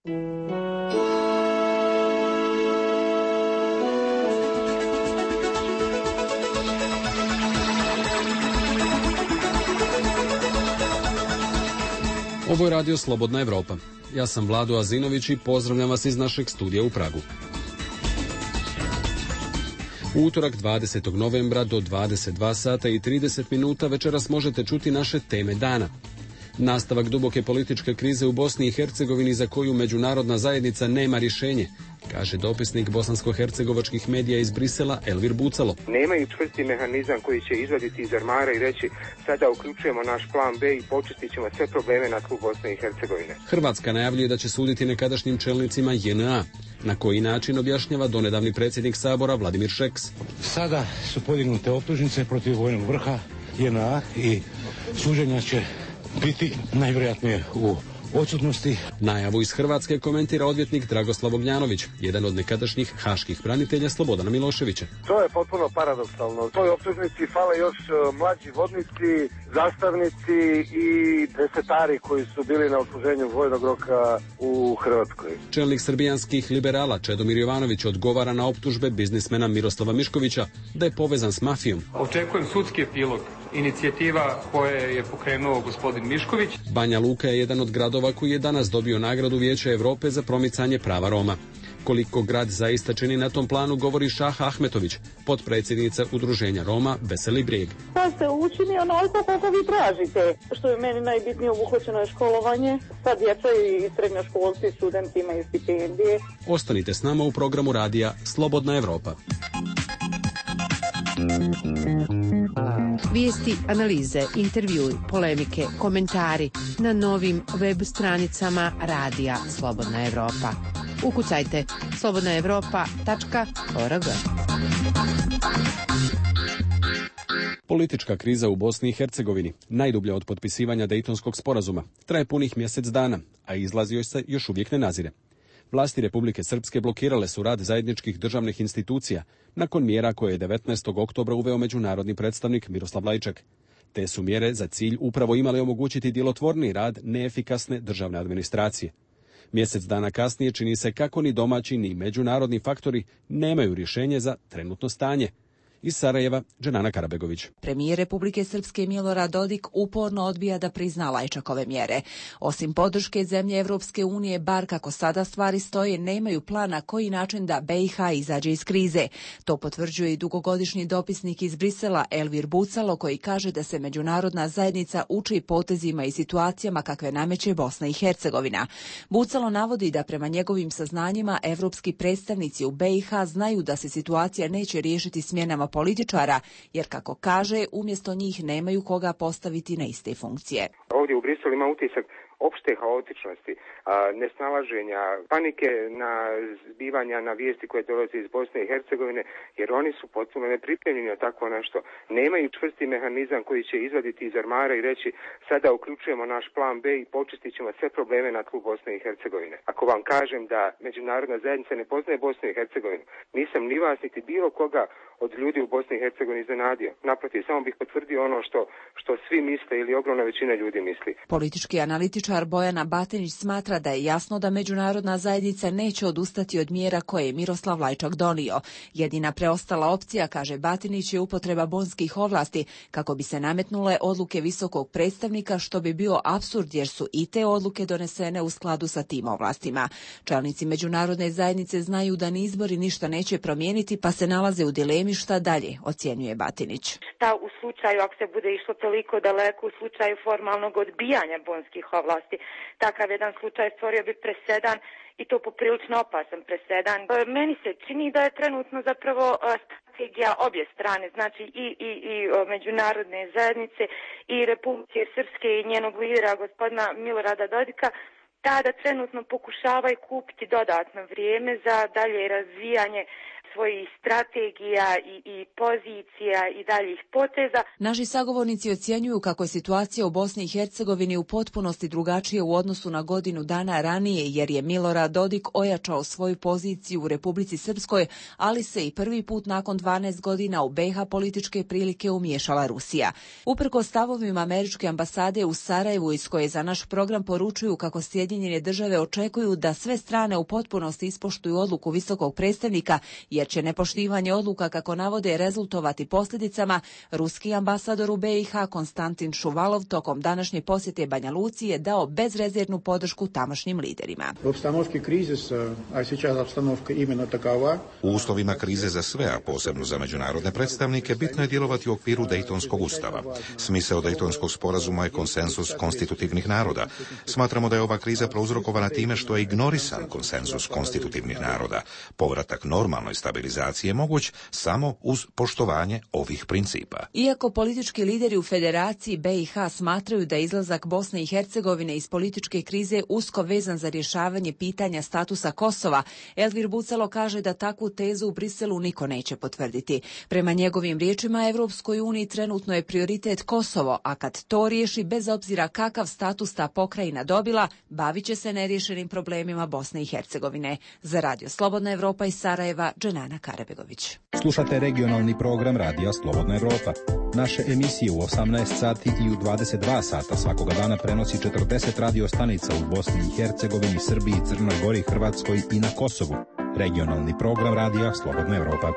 Ovo je radio Slobodna Evropa. Ja sam Vlado Azinović i pozdravljam vas iz našeg studija u Pragu. U utorak 20. novembra do 22 sata i 30 minuta večeras možete čuti naše teme dana. Nastavak duboke političke krize u Bosni i Hercegovini za koju međunarodna zajednica nema rješenje, kaže dopisnik bosansko-hercegovačkih medija iz Brisela Elvir Bucalo. Nemaju čvrsti mehanizam koji će izvaditi iz ormara i reći sada uključujemo naš plan B i počistit ćemo sve probleme na tlu Bosne i Hercegovine. Hrvatska najavljuje da će suditi nekadašnjim čelnicima JNA. Na koji način objašnjava donedavni predsjednik Sabora Vladimir Šeks. Sada su podignute optužnice protiv vojnog vrha JNA i suđenja će biti najvjerojatnije u odsutnosti. Najavu iz Hrvatske komentira odvjetnik Dragoslav Ognjanović, jedan od nekadašnjih haških branitelja Slobodana Miloševića. To je potpuno paradoksalno. Toj optužnici fale još mlađi vodnici, zastavnici i desetari koji su bili na odsluženju vojnog roka u Hrvatskoj. Čelnik srbijanskih liberala Čedomir Jovanović odgovara na optužbe biznismena Miroslava Miškovića da je povezan s mafijom. Očekujem sudski epilog. Inicijativa koje je pokrenuo gospodin Mišković. Banja Luka je jedan od gradova koji je danas dobio nagradu Vijeća Europe za promicanje prava Roma. Koliko grad zaista čini na tom planu govori Šaha Ahmetović, potpredsjednica udruženja Roma Veseli brijeg. Pa se učini onoliko koliko vi tražite. Što je meni najbitnije, obuhvaćeno je školovanje. Sad djeca i srednjoškolci, studenti imaju stipendije. Ostanite s nama u programu radija Slobodna Evropa. Vijesti, analize, intervjui, polemike, komentari na novim web stranicama radija Slobodna Evropa. Ukucajte slobodnaevropa.org. Politička kriza u Bosni i Hercegovini, najdublja od potpisivanja Dejtonskog sporazuma, traje punih mjesec dana, a izlaz joj se još uvijek ne nazire. Vlasti Republike Srpske blokirale su rad zajedničkih državnih institucija nakon mjera koje je 19. oktobra uveo međunarodni predstavnik Miroslav Lajčak. Te su mjere za cilj upravo imale omogućiti djelotvorniji rad neefikasne državne administracije. Mjesec dana kasnije čini se kako ni domaći ni međunarodni faktori nemaju rješenje za trenutno stanje. Iz Sarajeva, Dženana Karabegović. Premijer Republike Srpske Milorad Dodik uporno odbija da prizna Lajčakove mjere. Osim podrške zemlje Evropske unije, bar kako sada stvari stoje, nemaju plan na koji način da BiH izađe iz krize. To potvrđuje i dugogodišnji dopisnik iz Brisela Elvir Bucalo, koji kaže da se međunarodna zajednica uči potezima i situacijama kakve nameće Bosna i Hercegovina. Bucalo navodi da prema njegovim saznanjima evropski predstavnici u BiH znaju da se situacija neće riješiti smjenama političara, jer kako kaže, umjesto njih nemaju koga postaviti na iste funkcije. Ovdje u Briselu ima utisak opšte haotičnosti, nesnalaženja, panike na zbivanja na vijesti koje dolaze iz Bosne i Hercegovine, jer oni su potpuno nepripremljeni na takvo nešto. Nemaju čvrsti mehanizam koji će izvaditi iz ormara i reći sada uključujemo naš plan B i počistit ćemo sve probleme na tlu Bosne i Hercegovine. Ako vam kažem da međunarodna zajednica ne poznaje Bosnu i Hercegovinu, nisam ni vas niti bilo koga od ljudi u Bosni i Hercegovini iznenadio. Naprotiv, samo bih potvrdio ono što svi misle ili ogromna većina ljudi misli. Politički analitičar Bojana Batinić smatra da je jasno da međunarodna zajednica neće odustati od mjera koje je Miroslav Lajčak donio. Jedina preostala opcija, kaže Batinić, je upotreba bonskih ovlasti kako bi se nametnule odluke visokog predstavnika, što bi bio apsurd jer su i te odluke donesene u skladu sa tim ovlastima. Čelnici međunarodne zajednice znaju da ni izbori ništa neće promijeniti, pa se nalaze u dilemi šta dalje, ocjenjuje Batinić. Šta u slučaju, ako se bude išlo toliko daleko, u slučaju formalnog odbijanja bonskih ovlasti, takav jedan slučaj stvorio bi presedan i to poprilično opasan presedan. Meni se čini da je trenutno zapravo strategija obje strane, znači i međunarodne zajednice i Republike Srpske i njenog lidera gospodina Milorada Dodika, da trenutno pokušavaju kupiti dodatno vrijeme za dalje razvijanje svojih strategija i pozicija i daljih poteza. Naši sagovornici ocjenjuju kako je situacija u Bosni i Hercegovini u potpunosti drugačije u odnosu na godinu dana ranije, jer je Milorad Dodik ojačao svoju poziciju u Republici Srpskoj, ali se i prvi put nakon 12 godina u BiH političke prilike umiješala Rusija. Uprkos stavovima američke ambasade u Sarajevu, iz koje za naš program poručuju kako Sjedinjene države očekuju da sve strane u potpunosti ispoštuju odluku visokog predstavnika, jer će nepoštivanje odluka, kako navode, rezultovati posljedicama, ruski ambasador u BiH Konstantin Šuvalov tokom današnje posjete Banja Luci je dao bezrezervnu podršku tamošnjim liderima. U uslovima krize za sve, a posebno za međunarodne predstavnike, bitno je djelovati u okviru Dejtonskog ustava. Smisao Dejtonskog sporazuma je konsenzus konstitutivnih naroda. Smatramo da je ova kriza prouzrokovana time što je ignorisan konsenzus konstitutivnih naroda. Povratak normalnoj stabilizaciji je moguć samo uz poštovanje ovih principa. Iako politički lideri u Federaciji BiH smatraju da je izlazak Bosne i Hercegovine iz političke krize usko vezan za rješavanje pitanja statusa Kosova, Elvir Bucalo kaže da takvu tezu u Briselu niko neće potvrditi. Prema njegovim riječima, Evropskoj uniji trenutno je prioritet Kosovo, a kad to riješi, bez obzira kakav status ta pokrajina dobila, bavit će se neriješenim problemima Bosne i Hercegovine. Za Radio Slobodna Evropa iz Sarajeva, Dženana Karabegović. Slušate regionalni program Radija Slobodna Evropa. Naše emisije u 18 sati i u 22 sata svakoga dana prenosi 40 radio stanica u Bosni i Hercegovini, Srbiji, Crnoj Gori, Hrvatskoj i na Kosovu. Regionalni program Radija Slobodna Evropa.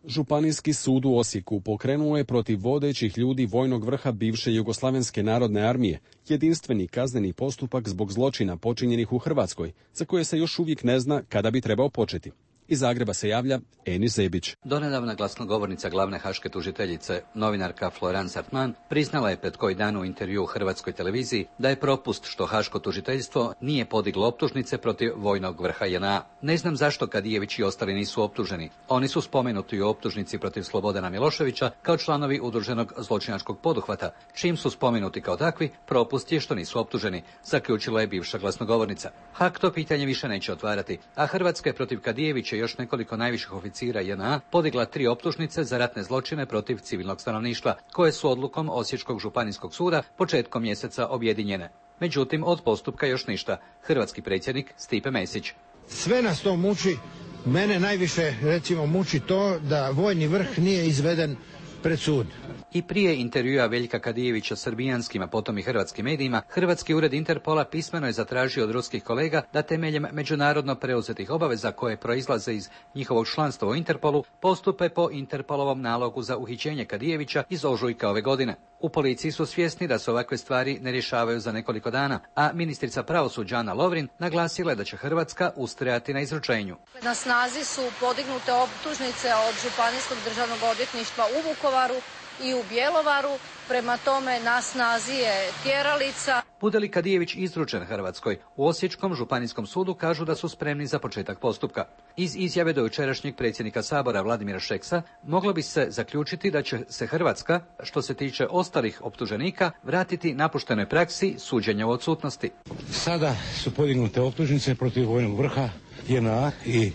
Županijski sud u Osijeku pokrenuo je protiv vodećih ljudi vojnog vrha bivše Jugoslavenske narodne armije jedinstveni kazneni postupak zbog zločina počinjenih u Hrvatskoj, za koje se još uvijek ne zna kada bi trebao početi. Iz Zagreba se javlja Enis Zebić. Donedavna glasnogovornica glavne haške tužiteljice, novinarka Florence Hartmann, priznala je pred koji dan u intervju u Hrvatskoj televiziji da je propust što haško tužiteljstvo nije podiglo optužnice protiv vojnog vrha JNA. Ne znam zašto Kadijević i ostali nisu optuženi. Oni su spomenuti u optužnici protiv Slobodana Miloševića kao članovi udruženog zločinačkog poduhvata. Čim su spomenuti kao takvi, propust je što nisu optuženi, zaključila je bivša glasnogovornica. Hak to pitanje više neće otvarati, a Hrvatska je protiv Kadijevića još nekoliko najviših oficira JNA podigla 3 optužnice za ratne zločine protiv civilnog stanovništva, koje su odlukom Osječkog županijskog suda početkom mjeseca objedinjene. Međutim, od postupka još ništa. Hrvatski predsjednik Stipe Mesić. Sve nas to muči. Mene najviše, recimo, muči to da vojni vrh nije izveden pred sud. I prije intervjua Veljka Kadijevića srbijanskim, a potom i hrvatskim medijima, Hrvatski ured Interpola pismeno je zatražio od ruskih kolega da temeljem međunarodno preuzetih obaveza koje proizlaze iz njihovog članstva u Interpolu postupe po Interpolovom nalogu za uhićenje Kadijevića iz ožujka ove godine. U policiji su svjesni da se ovakve stvari ne rješavaju za nekoliko dana, a ministrica pravosuđa Ana Lovrin naglasila je da će Hrvatska ustrajati na izručenju. Na snazi su podignute optužnice od Županijskog državnog odvjetništva u Vukovaru i u Bjelovaru, prema tome na snazi je tjeralica. Bude li Kadijević izručen Hrvatskoj, u Osječkom županijskom sudu kažu da su spremni za početak postupka. Iz izjave do jučerašnjeg predsjednika Sabora Vladimira Šeksa moglo bi se zaključiti da će se Hrvatska, što se tiče ostalih optuženika, vratiti napuštenoj praksi suđenja u odsutnosti. Sada su podignute optužnice protiv vojnog vrha JNA i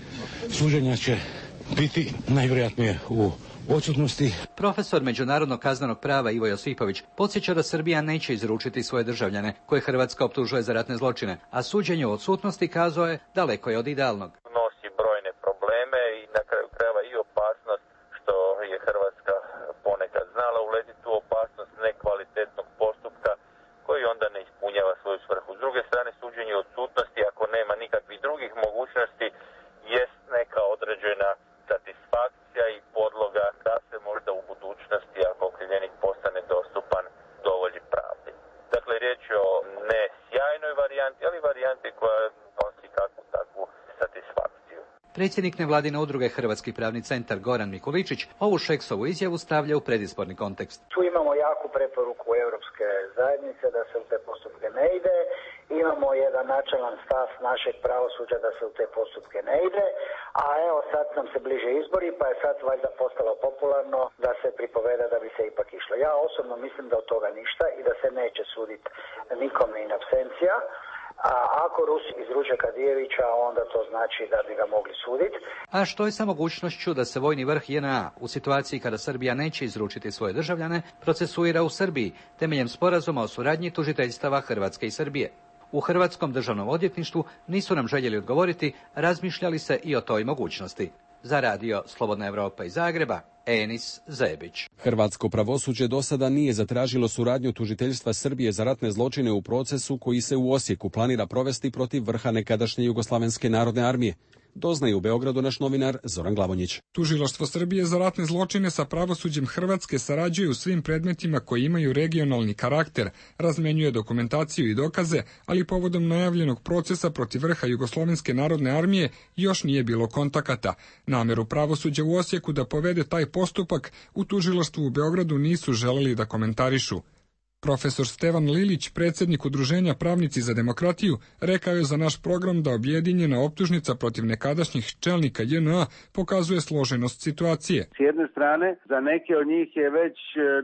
suđenja će biti najvjerojatnije u odsutnosti. Profesor međunarodnog kaznenog prava Ivo Josipović podsjeća da Srbija neće izručiti svoje državljane koje Hrvatska optužuje za ratne zločine, a suđenje u odsutnosti, kazao je, daleko je od idealnog. Nosi brojne probleme i na kraju krajeva i opasnost što je Hrvatska ponekad znala uletiti u opasnost nekvalitetnog postupka koji onda ne ispunjava svoju svrhu. S druge strane, suđenje u odsutnosti, ako nema nikakvih drugih mogućnosti, jest neka određena satisfakcija i podloga da se možda u budućnosti, ako okrivljenik postane dostupan, dovolji pravdi. Dakle, riječ je o ne sjajnoj varijanti, ali varijanti koja nosi kakvu takvu satisfakciju. Predsjednik nevladine udruge Hrvatski pravni centar Goran Mikuličić ovu Šeksovu izjavu stavlja u predizborni kontekst. Tu imamo jaku preporuku Europske zajednice da se u te postupke ne ide. Imamo jedan načelan stav našeg pravosuđa da se u te postupke ne ide, a evo sad nam se bliže izbori, pa je sad valjda postalo popularno da se pripoveda da bi se ipak išlo. Ja osobno mislim da od toga ništa i da se neće suditi nikome in absencija. A ako Rusi izruče Kadijevića, onda to znači da bi ga mogli suditi. A što je sa mogućnošću da se vojni vrh JNA u situaciji kada Srbija neće izručiti svoje državljane procesuira u Srbiji temeljem sporazuma o suradnji tužiteljstava Hrvatske i Srbije? U Hrvatskom državnom odvjetništvu nisu nam željeli odgovoriti, razmišljali se i o toj mogućnosti. Za radio Slobodna Evropa iz Zagreba, Enis Zebić. Hrvatsko pravosuđe do sada nije zatražilo suradnju tužiteljstva Srbije za ratne zločine u procesu koji se u Osijeku planira provesti protiv vrha nekadašnje Jugoslavenske narodne armije. Doznaje u Beogradu naš novinar Zoran Glavonjić. Tužilaštvo Srbije za ratne zločine sa pravosuđem Hrvatske sarađuje u svim predmetima koji imaju regionalni karakter, razmenjuje dokumentaciju i dokaze, ali povodom najavljenog procesa protiv vrha Jugoslovenske narodne armije još nije bilo kontakata. Nameru pravosuđa u Osijeku da povede taj postupak u tužilaštvu u Beogradu nisu želeli da komentarišu. Profesor Stevan Lilić, predsjednik Udruženja Pravnici za demokratiju, rekao je za naš program da objedinjena optužnica protiv nekadašnjih čelnika JNA pokazuje složenost situacije. S jedne strane, za neke od njih je već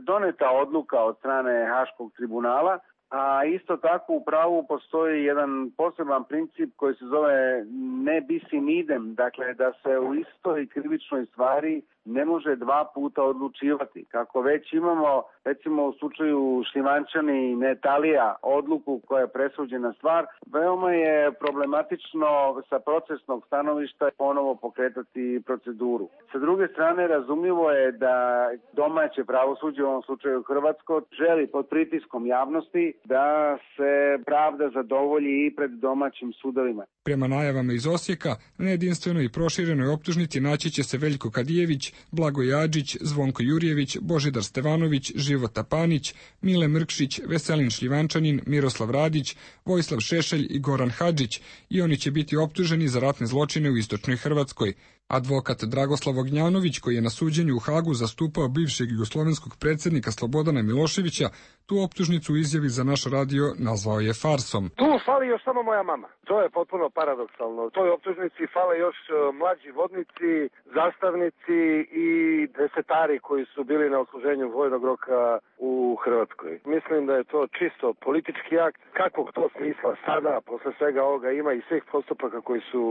doneta odluka od strane Haškog tribunala, a isto tako u pravu postoji jedan poseban princip koji se zove ne bis in idem, dakle da se u istoj krivičnoj stvari ne može dva puta odlučivati. Kako već imamo, recimo u slučaju Šljivančani i Netalija, odluku koja je presuđena stvar, veoma je problematično sa procesnog stanovišta ponovo pokretati proceduru. Sa druge strane, razumljivo je da domaće pravosuđe, u ovom slučaju hrvatsko, želi pod pritiskom javnosti da se pravda zadovolji i pred domaćim sudovima. Prema najavama iz Osijeka, na jedinstvenoj i proširenoj optužnici naći će se Veljko Kadijević, Blagoje Adžić, Zvonko Jurjević, Božidar Stevanović, Života Panić, Mile Mrkšić, Veselin Šljivančanin, Miroslav Radić, Vojislav Šešelj i Goran Hadžić, i oni će biti optuženi za ratne zločine u istočnoj Hrvatskoj. Advokat Dragoslav Ognjanović, koji je na suđenju u Hagu zastupao bivšeg jugoslovenskog predsjednika Slobodana Miloševića, tu optužnicu u izjavi za naš radio nazvao je farsom. Tu fali još samo moja mama. To je potpuno paradoksalno. U toj optužnici fale još mlađi vodnici, zastavnici i desetari koji su bili na odsluženju vojnog roka u Hrvatskoj. Mislim da je to čisto politički akt. Kakvog to smisla sada, posle svega ovoga ima i svih postupaka koji su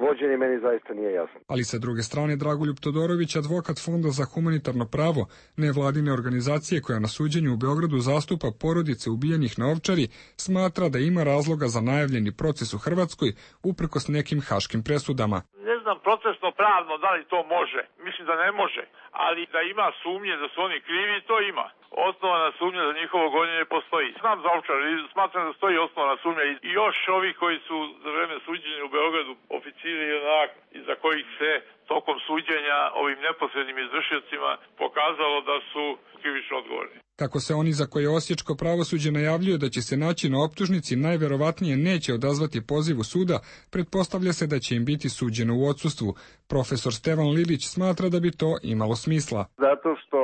vođeni, meni zaista nije jasno. Ali sa druge strane, Dragoljub Todorović, advokat Fonda za humanitarno pravo, nevladine organizacije koja na suđenju u Beogradu zastupa porodice ubijenih na Ovčari, smatra da ima razloga za najavljeni proces u Hrvatskoj uprkos nekim haškim presudama. Ne znam procesno pravno da li to može, mislim da ne može, ali da ima sumnje da su oni krivi, to ima. Osnovana sumnja za njihovo gonjenje postoji. Znam za Ovčar, smatram da stoji osnovana sumnja i još ovi koji su za vreme suđenja u Beogradu oficiri i za kojih se tokom suđenja ovim neposrednim izvršiocima pokazalo da su krivično odgovorni. Kako se oni za koje osječko pravosuđe najavljuje da će se naći na optužnici najverovatnije neće odazvati pozivu suda, pretpostavlja se da će im biti suđeno u odsustvu. Profesor Stevan Lilić smatra da bi to imalo smisla. Zato što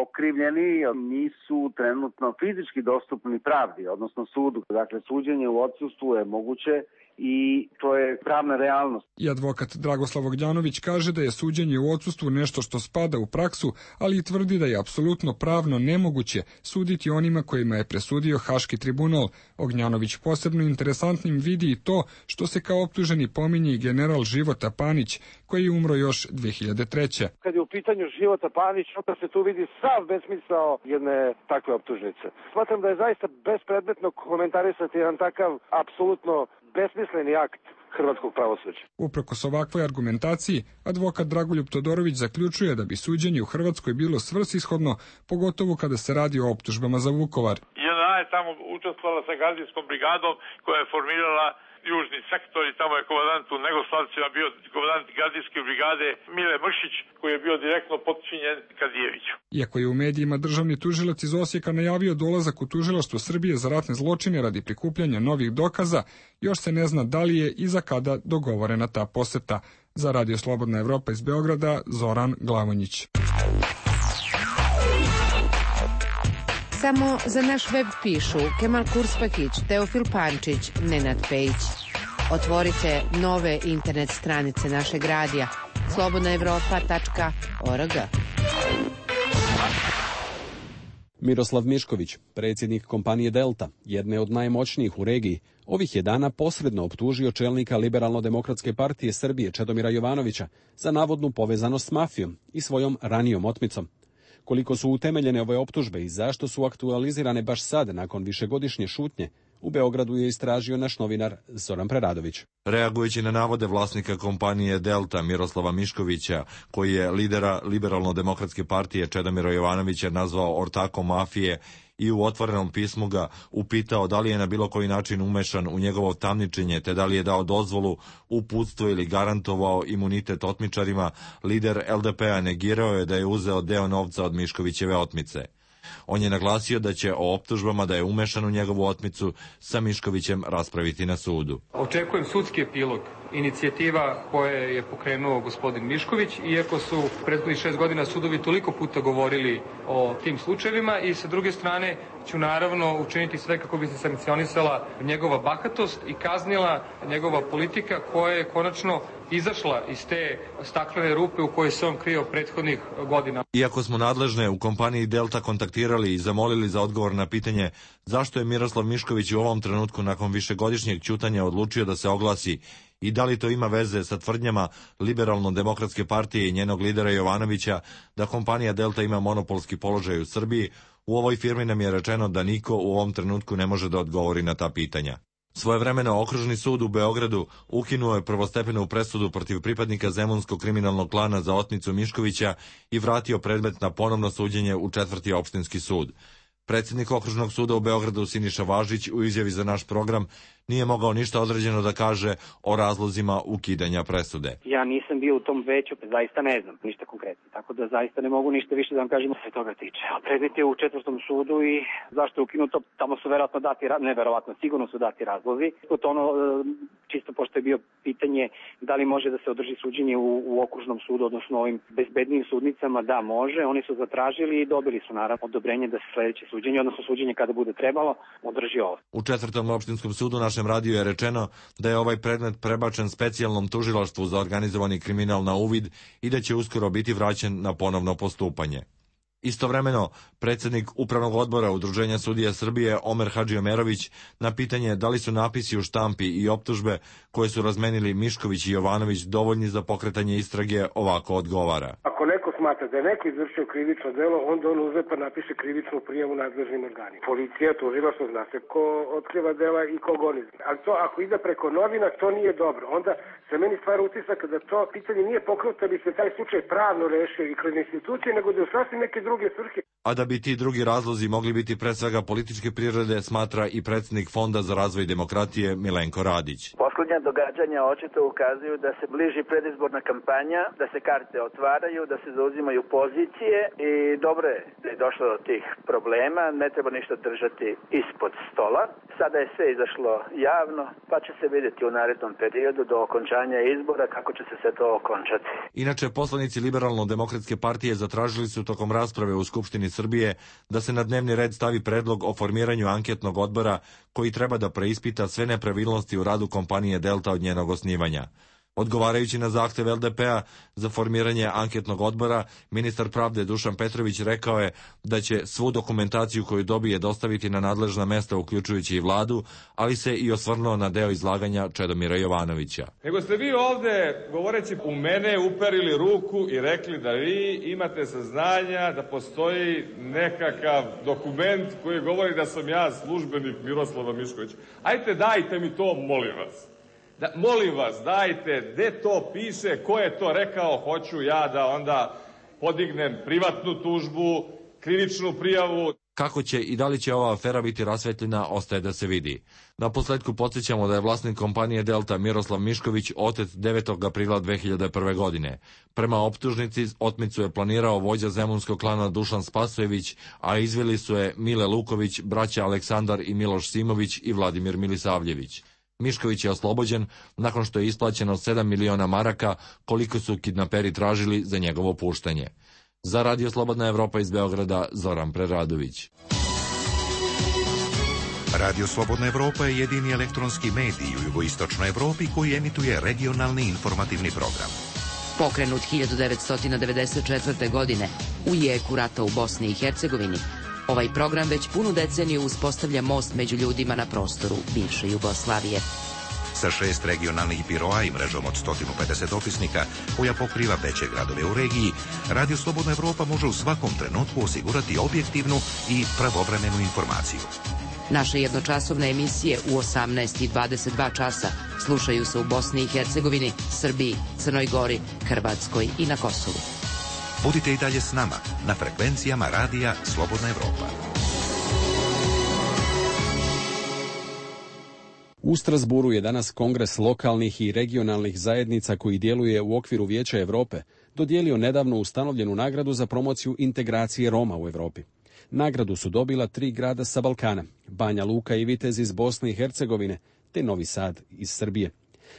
okrivljeni nisu trenutno fizički dostupni pravdi, odnosno sudu. Dakle, suđenje u odsustvu je moguće i to je pravna realnost. I advokat Dragoslav Ognjanović kaže da je suđenje u odsustvu nešto što spada u praksu, ali i tvrdi da je apsolutno pravno nemoguće suditi onima kojima je presudio Haški tribunal. Ognjanović posebno interesantnim vidi i to što se kao optuženi pominje i general Života Panić, koji je umro još 2003. Kad je u pitanju Života Panić, onda se tu vidi sav besmisao jedne takve optužnice. Smatram da je zaista bespredmetno komentarisati jedan takav apsolutno besmisleni akt hrvatskog pravosuđa. Uprkos ovakvoj argumentaciji, advokat Dragoljub Todorović zaključuje da bi suđenje u Hrvatskoj bilo svrsishodno, pogotovo kada se radi o optužbama za Vukovar. JNA je tamo učestvovala sa gardijskom brigadom koja je formirala južni sektor i tamo je komandant u Negoslavcima bio komandant gardijske brigade Mile Mrkšić, koji je bio direktno potčinjen Kadijeviću. Iako je u medijima državni tužilac iz Osijeka najavio dolazak u tužilaštvo Srbije za ratne zločine radi prikupljanja novih dokaza, još se ne zna da li je i za kada dogovorena ta poseta. Za Radio Slobodna Evropa iz Beograda, Zoran Glavonjić. Samo za naš web pišu Kemal Kurspakić, Teofil Pančić, Nenad Pejić. Otvorite nove internet stranice našeg radija slobodnaevropa.org. Miroslav Mišković, predsjednik kompanije Delta, jedne od najmoćnijih u regiji, ovih je dana posredno optužio čelnika Liberalno-demokratske partije Srbije Čedomira Jovanovića za navodnu povezanost s mafijom i svojom ranijom otmicom. Koliko su utemeljene ove optužbe i zašto su aktualizirane baš sad, nakon višegodišnje šutnje, u Beogradu je istražio naš novinar Zoran Preradović. Reagujući na navode vlasnika kompanije Delta Miroslava Miškovića, koji je lidera Liberalno-demokratske partije Čedomira Jovanovića nazvao ortakom mafije i u otvorenom pismu ga upitao da li je na bilo koji način umešan u njegovo tamničenje, te da li je dao dozvolu, uputstvo ili garantovao imunitet otmičarima, lider LDP-a negirao je da je uzeo deo novca od Miškovićeve otmice. On je naglasio da će o optužbama da je umešan u njegovu otmicu sa Miškovićem raspraviti na sudu. Očekujem sudski epilog inicijativa koje je pokrenuo gospodin Mišković, iako su prethodnih 6 godina sudovi toliko puta govorili o tim slučajevima, i sa druge strane ću naravno učiniti sve kako bi se sankcionisala njegova bahatost i kaznila njegova politika koja je konačno izašla iz te staklene rupe u kojoj se on krio prethodnih godina. Iako smo nadležne u kompaniji Delta kontaktirali i zamolili za odgovor na pitanje zašto je Miroslav Mišković u ovom trenutku nakon višegodišnjeg ćutanja odlučio da se oglasi i da li to ima veze sa tvrdnjama Liberalno-demokratske partije i njenog lidera Jovanovića da kompanija Delta ima monopolski položaj u Srbiji, u ovoj firmi nam je rečeno da niko u ovom trenutku ne može da odgovori na ta pitanja. Svojevremeno Okružni sud u Beogradu ukinuo je prvostepenu presudu protiv pripadnika zemunskog kriminalnog klana za otmicu Miškovića i vratio predmet na ponovno suđenje u 4. opštinski sud. Predsjednik Okružnog suda u Beogradu Siniša Važić u izjavi za naš program nije mogao ništa određeno da kaže o razlozima ukidanja presude. Ja nisam bio u tom veću, zaista ne znam ništa konkretno, tako da zaista ne mogu ništa više da vam kažem se toga tiče. A predmet je u 4. sudu i zašto je ukinuto, tamo su verovatno dati, neverovatno, sigurno su dati razlozi. Čisto pošto je bio pitanje da li može da se održi suđenje u Okružnom sudu, odnosno ovim bezbednim sudnicama, da može. Oni su zatražili i dobili su naravno odobrenje da se sledeće suđenje, odnosno suđenje kada bude trebalo, održi ovo. U 4. opštinskom sudu našem radiju je rečeno da je ovaj predmet prebačen specijalnom tužilaštvu za organizovani kriminal na uvid i da će uskoro biti vraćen na ponovno postupanje. Istovremeno, predsjednik Upravnog odbora Udruženja sudija Srbije Omer Hadžiomerović na pitanje da li su napisi u štampi i optužbe koje su razmenili Mišković i Jovanović dovoljni za pokretanje istrage ovako odgovara. Ako neko smatra da je neko izvršio krivično delo, onda on uzme pa napiše krivičnu prijavu nadležnim organima. Policija, tužilaštvo, zna se ko otkriva dela i ko goni. Ali to ako ide preko novina, to nije dobro. Onda se meni stvara utisak da to pitanje nije pokrenuto, da bi se taj slučaj pravno rešio i kroz institucije, nego da je sasvim neke druge svrhe. A da bi ti drugi razlozi mogli biti pre svega političke prirode, smatra i predsjednik Fonda za razvoj demokratije Milenko Radić. Poslednja događanja očito ukazuju da se bliži predizborna kampanja, da se karte otvaraju, da se zauzimaju pozicije i dobro je da je došlo do tih problema, ne treba ništa držati ispod stola. Sada je sve izašlo javno, pa će se vidjeti u narednom periodu do okončanja izbora kako će se sve to okončati. Inače, poslanici Liberalno-demokratske partije zatražili su tokom rasprave u Skupštini Srbije da se na dnevni red stavi predlog o formiranju anketnog odbora koji treba da preispita sve nepravilnosti u radu kompanije Delta od njenog osnivanja. Odgovarajući na zahtev LDP-a za formiranje anketnog odbora, ministar pravde Dušan Petrović rekao je da će svu dokumentaciju koju dobije dostaviti na nadležna mesta, uključujući i vladu, ali se i osvrnuo na deo izlaganja Čedomira Jovanovića. Nego ste vi ovde, govoreći u mene, uperili ruku i rekli da vi imate saznanja da postoji nekakav dokument koji govori da sam ja službenik Miroslava Miškovića. Ajte, dajte mi to, molim vas. Molim vas, dajte, gde to piše, ko je to rekao, hoću ja da onda podignem privatnu tužbu, krivičnu prijavu. Kako će i da li će ova afera biti rasvetljena, ostaje da se vidi. Naposletku podsjećamo da je vlasnik kompanije Delta Miroslav Mišković otet 9. aprila 2001. godine. Prema optužnici, otmicu je planirao vođa zemunskog klana Dušan Spasojević, a izveli su je Mile Luković, braća Aleksandar i Miloš Simović i Vladimir Milisavljević. Mišković je oslobođen nakon što je isplaćeno 7 miliona maraka, koliko su kidnaperi tražili za njegovo puštanje. Za Radio Slobodna Evropa iz Beograda, Zoran Preradović. Radio Slobodna Evropa je jedini elektronski medij u jugoistočnoj Evropi koji emituje regionalni informativni program. Pokrenut 1994. godine u jeku rata u Bosni i Hercegovini, Ovaj program već punu deceniju uspostavlja most među ljudima na prostoru bivše Jugoslavije. Sa 6 regionalnih biroa i mrežom od 150 dopisnika, koja pokriva veće gradove u regiji, Radio Slobodna Evropa može u svakom trenutku osigurati objektivnu i pravovremenu informaciju. Naše jednočasovne emisije u 18 i 22 časa slušaju se u Bosni i Hercegovini, Srbiji, Crnoj Gori, Hrvatskoj i na Kosovu. Budite i dalje s nama na frekvencijama Radija Slobodna Evropa. U Strasburu je danas Kongres lokalnih i regionalnih zajednica koji djeluje u okviru Vijeća Europe dodijelio nedavno ustanovljenu nagradu za promociju integracije Roma u Europi. Nagradu su dobila 3 grada sa Balkana, Banja Luka i Vitez iz Bosne i Hercegovine, te Novi Sad iz Srbije.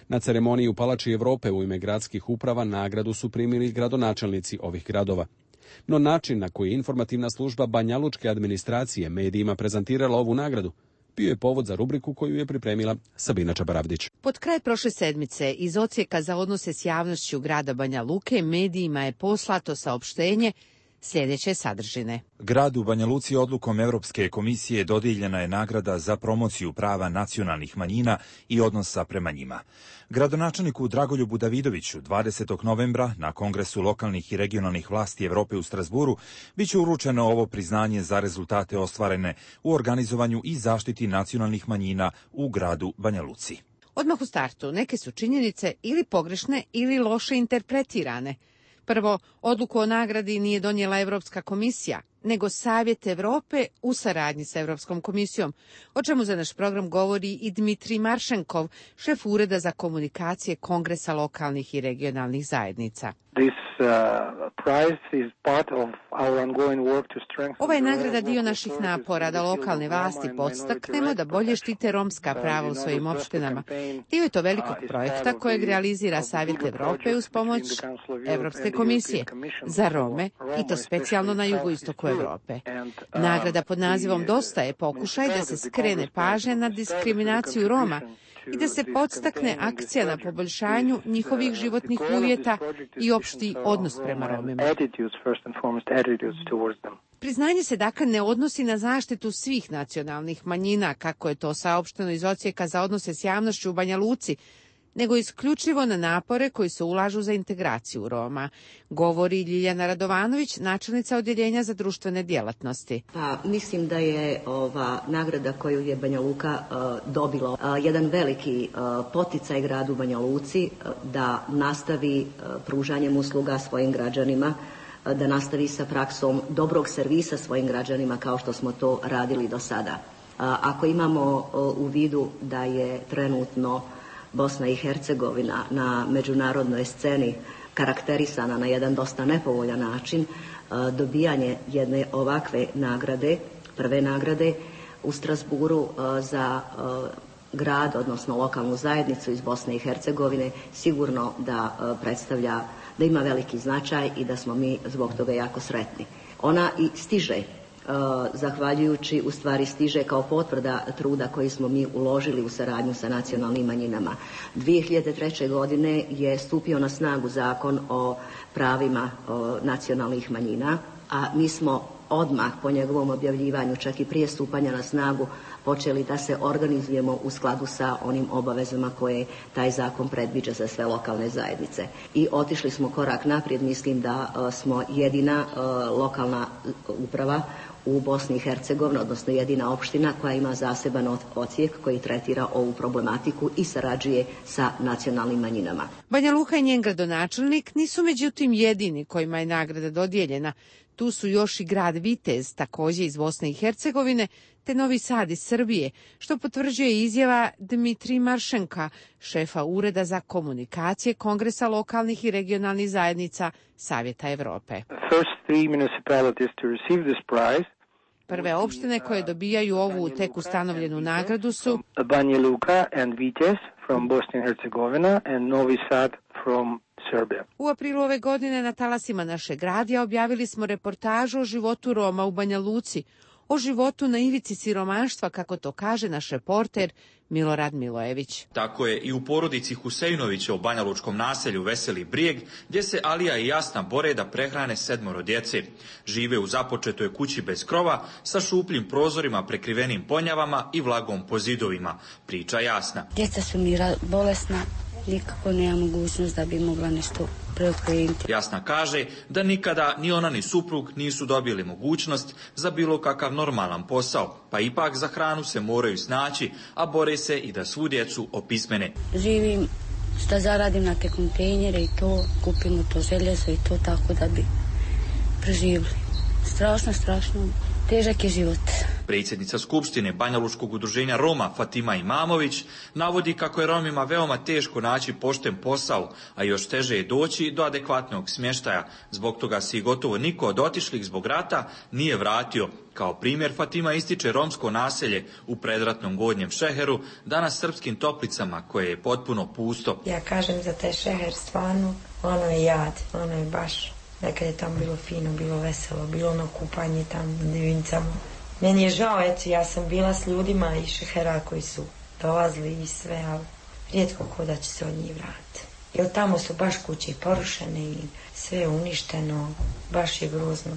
Na ceremoniji u Palači Europe u ime gradskih uprava nagradu su primili gradonačelnici ovih gradova. No način na koji je informativna služba banjalučke administracije medijima prezentirala ovu nagradu bio je povod za rubriku koju je pripremila Sabina Čabaravdić. Pod kraj prošle sedmice iz Odsjeka za odnose s javnošću grada Banja Luke medijima je poslato saopštenje sljedeće sadržine. Gradu Banja Luci odlukom Europske komisije dodijeljena je nagrada za promociju prava nacionalnih manjina i odnosa prema njima. Gradonačelniku Dragoljubu Davidoviću 20. novembra na Kongresu lokalnih i regionalnih vlasti Evrope u Strasburu biće uručeno ovo priznanje za rezultate ostvarene u organizovanju i zaštiti nacionalnih manjina u gradu Banja Luci. Odmah u startu neke su činjenice ili pogrešne ili loše interpretirane. Prvo, odluku o nagradi nije donijela Europska komisija, nego Savjet Evrope u saradnji sa Europskom komisijom, o čemu za naš program govori i Dmitrij Maršenkov, šef Ureda za komunikacije Kongresa lokalnih i regionalnih zajednica. Ova je nagrada dio naših napora da lokalne vlasti podstaknemo da bolje štite romska prava u svojim opštinama. Dio je to velikog projekta kojeg realizira Savjet Evrope uz pomoć Evropske komisije za Rome i to specijalno na jugoistoku Evrope. Nagrada pod nazivom Dosta je pokušaj da se skrene pažnja na diskriminaciju Roma i da se podstakne akcija na poboljšanju njihovih životnih uvjeta i opšti odnos prema Romima. Priznanje se dakle ne odnosi na zaštitu svih nacionalnih manjina, kako je to saopšteno iz Odsjeka za odnose s javnošću u Banja Luci, nego isključivo na napore koji se ulažu za integraciju Roma, govori Ljiljana Radovanović, načelnica Odjeljenja za društvene djelatnosti. Mislim da je ova nagrada koju je Banja Luka dobila jedan veliki poticaj gradu Banja Luci da nastavi pružanjem usluga svojim građanima, da nastavi sa praksom dobrog servisa svojim građanima kao što smo to radili do sada. Ako imamo u vidu da je trenutno Bosna i Hercegovina na međunarodnoj sceni karakterisana na jedan dosta nepovoljan način, dobijanje jedne ovakve nagrade, prve nagrade u Strasburu za grad, odnosno lokalnu zajednicu iz Bosne i Hercegovine, sigurno da predstavlja, da ima veliki značaj i da smo mi zbog toga jako sretni. Ona i stiže, zahvaljujući, u stvari stiže kao potvrda truda koji smo mi uložili u saradnju sa nacionalnim manjinama. 2003. godine je stupio na snagu zakon o pravima nacionalnih manjina, a mi smo odmah po njegovom objavljivanju, čak i prije stupanja na snagu, počeli da se organizujemo u skladu sa onim obavezama koje taj zakon predviđa za sve lokalne zajednice. I otišli smo korak naprijed, mislim da smo jedina lokalna uprava u Bosni i Hercegovini, odnosno jedina opština koja ima zaseban odsjek koji tretira ovu problematiku i sarađuje sa nacionalnim manjinama. Banja Luka i njen gradonačelnik nisu međutim jedini kojima je nagrada dodijeljena. Tu su još i grad Vitez, također iz Bosne i Hercegovine, te Novi Sad iz Srbije, što potvrđuje izjava Dmitrij Maršenka, šefa Ureda za komunikacije Kongresa lokalnih i regionalnih zajednica Savjeta Evrope. Prve opštine koje dobijaju ovu tek ustanovljenu nagradu su Banja Luka and Vitez from Bosnia and Herzegovina and Novi Sad from Serbia. U aprilu ove godine na talasima našeg radija objavili smo reportažu o životu Roma u Banja Luci, o životu na ivici siromaštva, kako to kaže naš reporter Milorad Milojević. Tako je i u porodici Huseinovića u banjalučkom naselju Veseli Brijeg, gdje se Alija i Jasna bore da prehrane 7 djece. Žive u započetoj kući bez krova, sa šupljim prozorima prekrivenim ponjavama i vlagom po zidovima, priča Jasna. Djeca su mi bolesna, nikako nema mogućnost da bi mogla nešto preokrenuti. Jasna kaže da nikada ni ona ni suprug nisu dobili mogućnost za bilo kakav normalan posao, pa ipak za hranu se moraju snaći, a bore se i da svu djecu opismene. Živim šta zaradim na te kontejnere i to, kupimo to željezo i to tako da bi preživjeli. Strašno, težak je život. Predsjednica Skupštine Banjalučkog udruženja Roma Fatima Imamović navodi kako je Romima veoma teško naći pošten posao, a još teže je doći do adekvatnog smještaja. Zbog toga se i gotovo niko od otišlih zbog rata nije vratio. Kao primjer Fatima ističe romsko naselje u predratnom Gornjem Šeheru, danas srpskim Toplicama, koje je potpuno pusto. Ja kažem za taj Šeher stvarno, ono je jad, ono je baš. Nekad je tamo bilo fino, bilo veselo, bilo ono kupanje tamo na Divincama. Meni je žao, eto, ja sam bila s ljudima iz Šehera koji su dolazili i sve, ali rijetko ko da će se od njih vratiti. Jer tamo su baš kuće porušene i sve je uništeno, baš je grozno.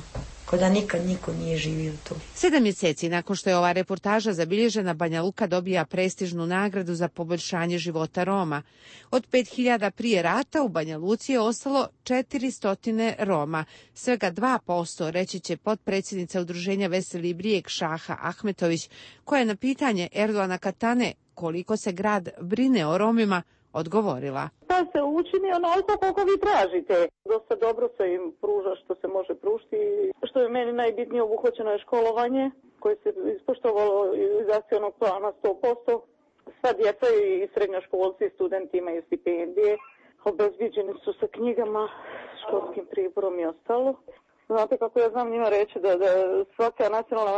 Ko da nikad niko nije živio tu. 7 mjeseci nakon što je ova reportaža zabilježena, Banja Luka dobija prestižnu nagradu za poboljšanje života Roma. Od 5000 prije rata u Banja Luci je ostalo 400 Roma. Svega 2%, reći će potpredsjednica udruženja Veseli Brijeg Šaha Ahmetović, koja je na pitanje Erdoana Katane koliko se grad brine o Romima odgovorila. Da se učini onoliko koliko vi tražite. Dosta dobro se im pruža što se može pružiti. Što je meni najbitnije, obuhvaćeno je školovanje koje se ispoštovalo iz akcionog plana 100%. Sva djeca i srednjoškolci i studenti imaju stipendije. Obezbiđeni su sa knjigama, školskim priborom i ostalo. Znate kako ja znam njima reći da svaka nacionalna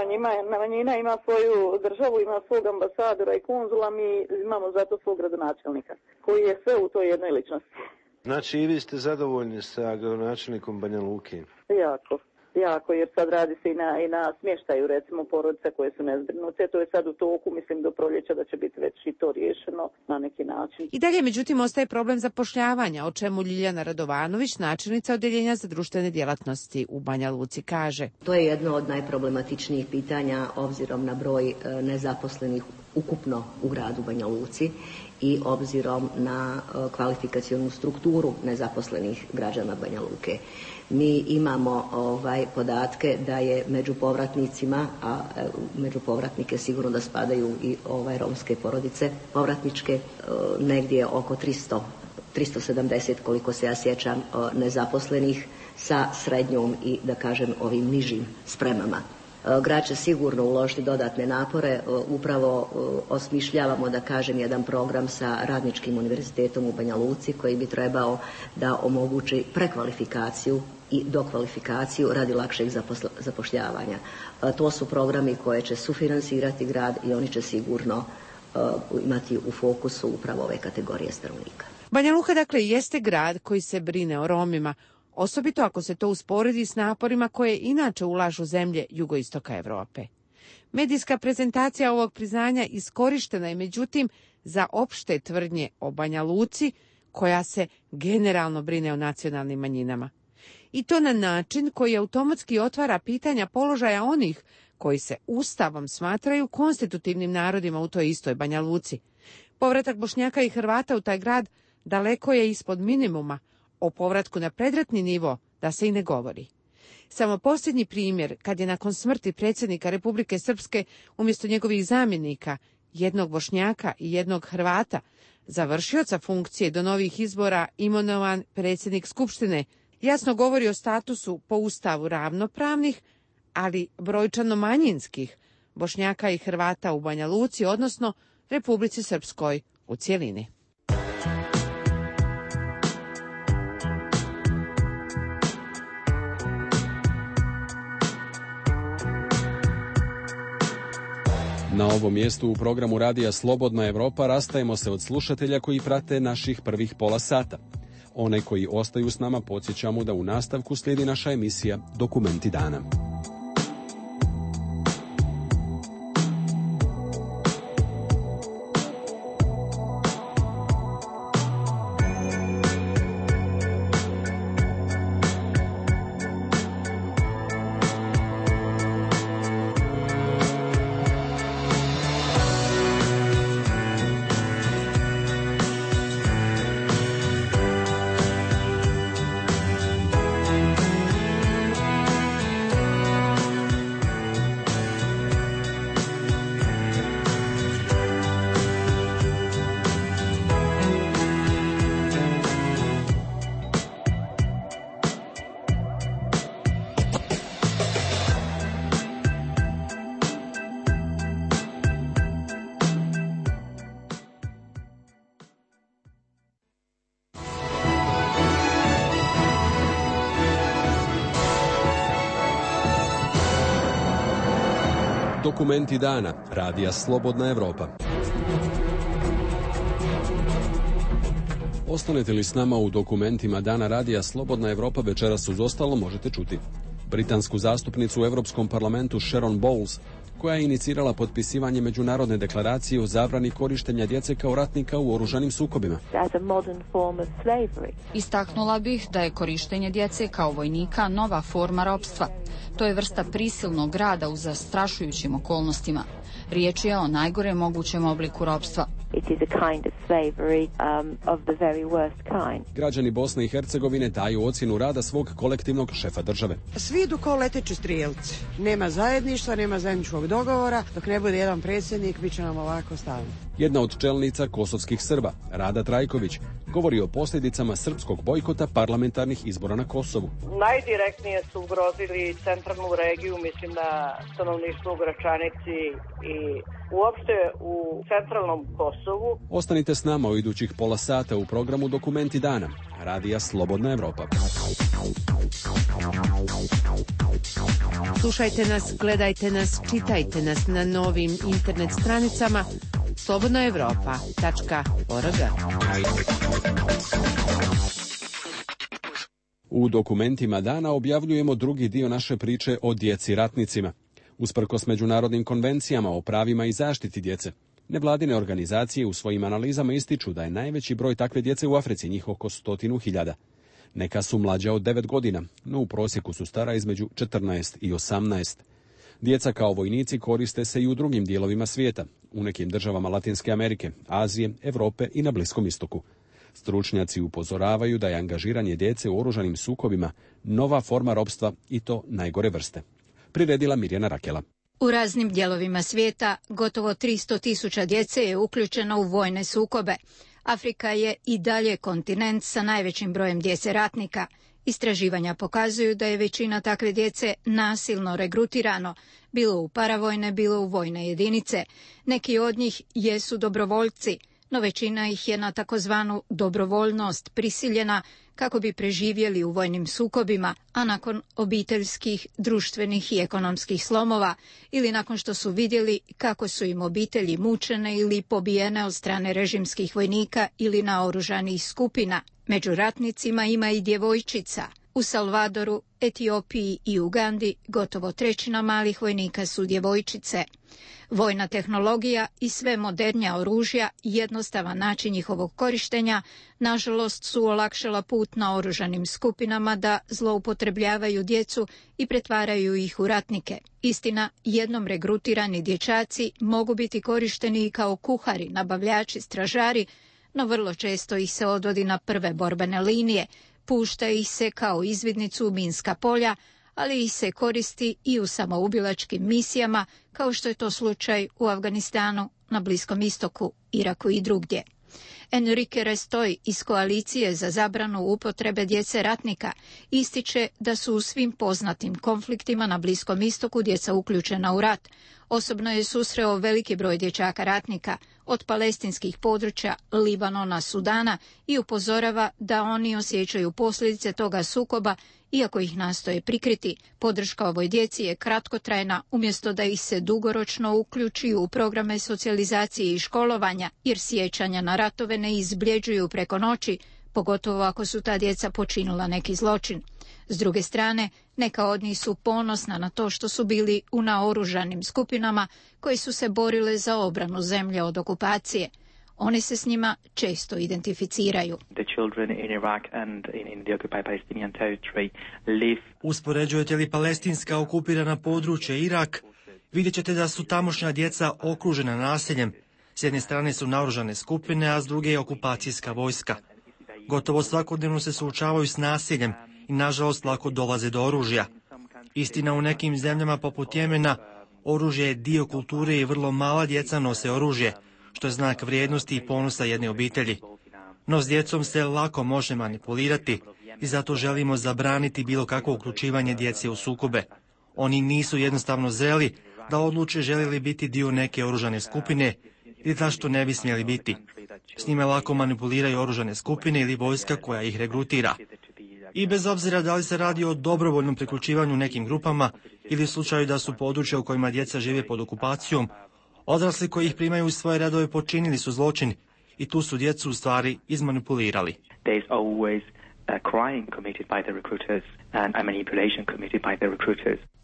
manjina ima svoju državu, ima svog ambasadora i konzula, mi imamo zato svog gradonačelnika, koji je sve u toj jednoj ličnosti. Znači i vi ste zadovoljni sa gradonačelnikom Banja Luke? Jako, jer sad radi se i na smještaju, recimo, porodice koje su nezbrinute. To je sad u toku, mislim, do proljeća da će biti već i to riješeno na neki način. I dalje, međutim, ostaje problem zapošljavanja, o čemu Ljiljana Radovanović, načelnica Odeljenja za društvene djelatnosti u Banja Luci, kaže. To je jedno od najproblematičnijih pitanja obzirom na broj nezaposlenih ukupno u gradu Banja Luci i obzirom na kvalifikacionu strukturu nezaposlenih građana Banja Luke. Mi imamo podatke da je među povratnicima, a među povratnike sigurno da spadaju i romske porodice povratničke, negdje oko 370, koliko se ja sjećam, nezaposlenih sa srednjom i, da kažem, ovim nižim spremama. Grad će sigurno uložiti dodatne napore, upravo osmišljavamo, da kažem, jedan program sa Radničkim univerzitetom u Banja Luci koji bi trebao da omogući prekvalifikaciju i dokvalifikaciju radi lakšeg zapošljavanja. To su programi koje će sufinansirati grad i oni će sigurno imati u fokusu upravo ove kategorije stanovnika. Banja Luka, dakle, jeste grad koji se brine o Romima, osobito ako se to usporedi s naporima koje inače ulažu zemlje jugoistoka Europe. Medijska prezentacija ovog priznanja iskorištena je, međutim, za opšte tvrdnje o Banja Luci, koja se generalno brine o nacionalnim manjinama. I to na način koji automatski otvara pitanja položaja onih koji se Ustavom smatraju konstitutivnim narodima u toj istoj Banja Luci. Povratak Bošnjaka i Hrvata u taj grad daleko je ispod minimuma, o povratku na predratni nivo da se i ne govori. Samo posljednji primjer, kad je nakon smrti predsjednika Republike Srpske umjesto njegovih zamjenika, jednog Bošnjaka i jednog Hrvata, za vršioca funkcije do novih izbora imenovan predsjednik Skupštine, jasno govori o statusu po Ustavu ravnopravnih, ali brojčano manjinskih Bošnjaka i Hrvata u Banja Luci, odnosno Republici Srpskoj u cjelini. Na ovom mjestu u programu Radija Slobodna Evropa rastajemo se od slušatelja koji prate naših prvih pola sata. One koji ostaju s nama podsjećamo da u nastavku slijedi naša emisija Dokumenti dana. Dokumenti dana. Radija Slobodna Evropa. Ostanete li s nama u dokumentima dana Radija Slobodna Evropa, večeras uz ostalo možete čuti britansku zastupnicu u Europskom parlamentu Sharon Bowles, koja je inicirala potpisivanje međunarodne deklaracije o zabrani korištenja djece kao ratnika u oružanim sukobima. Istaknula bih da je korištenje djece kao vojnika nova forma ropstva. To je vrsta prisilnog rada u zastrašujućim okolnostima. Riječ je o najgorem mogućem obliku ropstva. Građani Bosne i Hercegovine daju ocjenu rada svog kolektivnog šefa države. Svi idu kao leteći strijelci. Nema zajedništva, nema zajedničkog dogovora. Dok ne bude jedan predsjednik, bit će nam ovako stalno. Jedna od čelnica kosovskih Srba, Rada Trajković, govori o posljedicama srpskog bojkota parlamentarnih izbora na Kosovu. Najdirektnije su ugrozili centralnu regiju, mislim na stanovništvo u Gračanici i uopšte u centralnom Kosovu. Ostanite s nama u idućih pola sata u programu Dokumenti dana. Radija Slobodna Evropa. Slušajte nas, gledajte nas, čitajte nas na novim internet stranicama slobodnaevropa.org. U dokumentima dana objavljujemo drugi dio naše priče o djeci ratnicima. Usprkos međunarodnim konvencijama o pravima i zaštiti djece, nevladine organizacije u svojim analizama ističu da je najveći broj takve djece u Africi, njih oko 100.000. Neka su mlađa od 9 godina, no u prosjeku su stara između 14 i 18. Djeca kao vojnici koriste se i u drugim dijelovima svijeta, u nekim državama Latinske Amerike, Azije, Europe i na Bliskom istoku. Stručnjaci upozoravaju da je angažiranje djece u oružanim sukobima nova forma ropstva i to najgore vrste. Priredila Mirjana Rakela. U raznim dijelovima svijeta gotovo 300.000 djece je uključeno u vojne sukobe. Afrika je i dalje kontinent sa najvećim brojem djece ratnika. Istraživanja pokazuju da je većina takve djece nasilno regrutirano, bilo u paravojne, bilo u vojne jedinice. Neki od njih jesu dobrovoljci, no većina ih je na takozvanu dobrovoljnost prisiljena kako bi preživjeli u vojnim sukobima, a nakon obiteljskih, društvenih i ekonomskih slomova ili nakon što su vidjeli kako su im obitelji mučene ili pobijene od strane režimskih vojnika ili naoružanih skupina. Među ratnicima ima i djevojčica. U Salvadoru, Etiopiji i Ugandi gotovo trećina malih vojnika su djevojčice. Vojna tehnologija i sve modernija oružja i jednostavan način njihovog korištenja nažalost su olakšala put na oružanim skupinama da zloupotrebljavaju djecu i pretvaraju ih u ratnike. Istina, jednom regrutirani dječaci mogu biti korišteni i kao kuhari, nabavljači, stražari, no vrlo često ih se odvodi na prve borbene linije, pušta ih se kao izvidnicu u minska polja, ali ih se koristi i u samoubilačkim misijama, kao što je to slučaj u Afganistanu, na Bliskom istoku, Iraku i drugdje. Enrique Restoj iz Koalicije za zabranu upotrebe djece ratnika ističe da su u svim poznatim konfliktima na Bliskom istoku djeca uključena u rat. Osobno je susreo veliki broj dječaka ratnika od palestinskih područja, Libanona, Sudana i upozorava da oni osjećaju posljedice toga sukoba, iako ih nastoje prikriti. Podrška ovoj djeci je kratkotrajna, umjesto da ih se dugoročno uključi u programe socijalizacije i školovanja, jer sjećanja na ratove ne izbljeđuju preko noći, pogotovo ako su ta djeca počinila neki zločin. S druge strane, neka od njih su ponosna na to što su bili u naoružanim skupinama koji su se borile za obranu zemlje od okupacije. Oni se s njima često identificiraju. Uspoređujete li palestinska okupirana područja Irak, vidjet ćete da su tamošnja djeca okružena nasiljem. S jedne strane su naoružane skupine, a s druge je okupacijska vojska. Gotovo svakodnevno se suočavaju s nasiljem i nažalost lako dolaze do oružja. Istina, u nekim zemljama poput Jemena oružje je dio kulture i vrlo mala djeca nose oružje, što je znak vrijednosti i ponosa jedne obitelji. No s djecom se lako može manipulirati i zato želimo zabraniti bilo kakvo uključivanje djece u sukobe. Oni nisu jednostavno zreli da odluče žele li biti dio neke oružane skupine ili zašto ne bi smjeli biti. S njima lako manipuliraju oružane skupine ili vojska koja ih regrutira. I bez obzira da li se radi o dobrovoljnom priključivanju nekim grupama ili u slučaju da su područja u kojima djeca žive pod okupacijom, odrasli koji ih primaju u svoje redove počinili su zločin i tu su djecu u stvari izmanipulirali.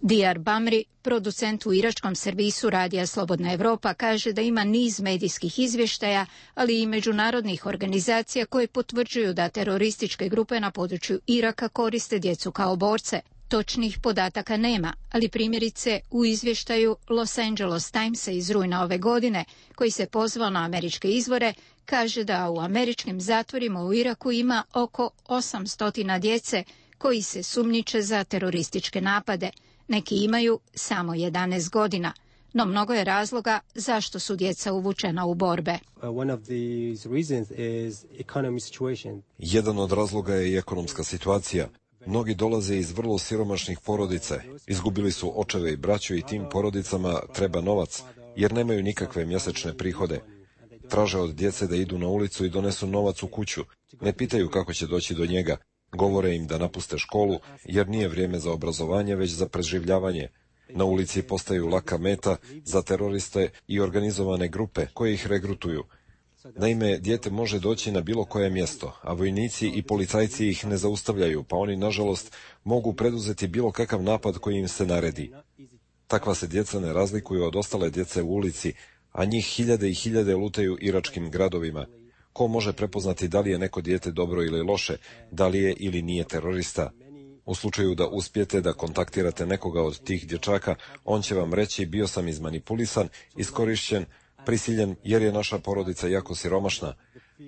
Diyar Bamri, producent u iračkom servisu radija Slobodna Evropa, kaže da ima niz medijskih izvještaja, ali i međunarodnih organizacija koje potvrđuju da terorističke grupe na području Iraka koriste djecu kao borce. Točnih podataka nema, ali primjerice u izvještaju Los Angeles Timesa iz rujna ove godine, koji se pozvao na američke izvore, kaže da u američkim zatvorima u Iraku ima oko 800 djece koji se sumnjiče za terorističke napade. Neki imaju samo 11 godina, no mnogo je razloga zašto su djeca uvučena u borbe. Jedan od razloga je i ekonomska situacija. Mnogi dolaze iz vrlo siromašnih porodica, izgubili su očeve i braću i tim porodicama treba novac, jer nemaju nikakve mjesečne prihode. Traže od djece da idu na ulicu i donesu novac u kuću, ne pitaju kako će doći do njega, govore im da napuste školu, jer nije vrijeme za obrazovanje, već za preživljavanje. Na ulici postaju laka meta za teroriste i organizovane grupe koje ih regrutuju. Naime, dijete može doći na bilo koje mjesto, a vojnici i policajci ih ne zaustavljaju, pa oni, nažalost, mogu preduzeti bilo kakav napad koji im se naredi. Takva se djeca ne razlikuju od ostale djece u ulici, a njih hiljade i hiljade lutaju iračkim gradovima. Ko može prepoznati da li je neko dijete dobro ili loše, da li je ili nije terorista? U slučaju da uspijete da kontaktirate nekoga od tih dječaka, on će vam reći: bio sam izmanipulisan, iskorišćen, prisiljen jer je naša porodica jako siromašna.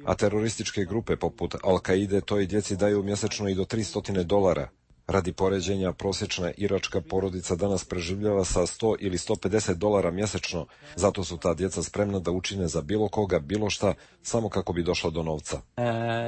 A terorističke grupe poput Al-Kaide toj djeci daju mjesečno i do $300. Radi poređenja, prosječna iračka porodica danas preživljava sa $100 ili $150 mjesečno, zato su ta djeca spremna da učine za bilo koga, bilo šta, samo kako bi došla do novca.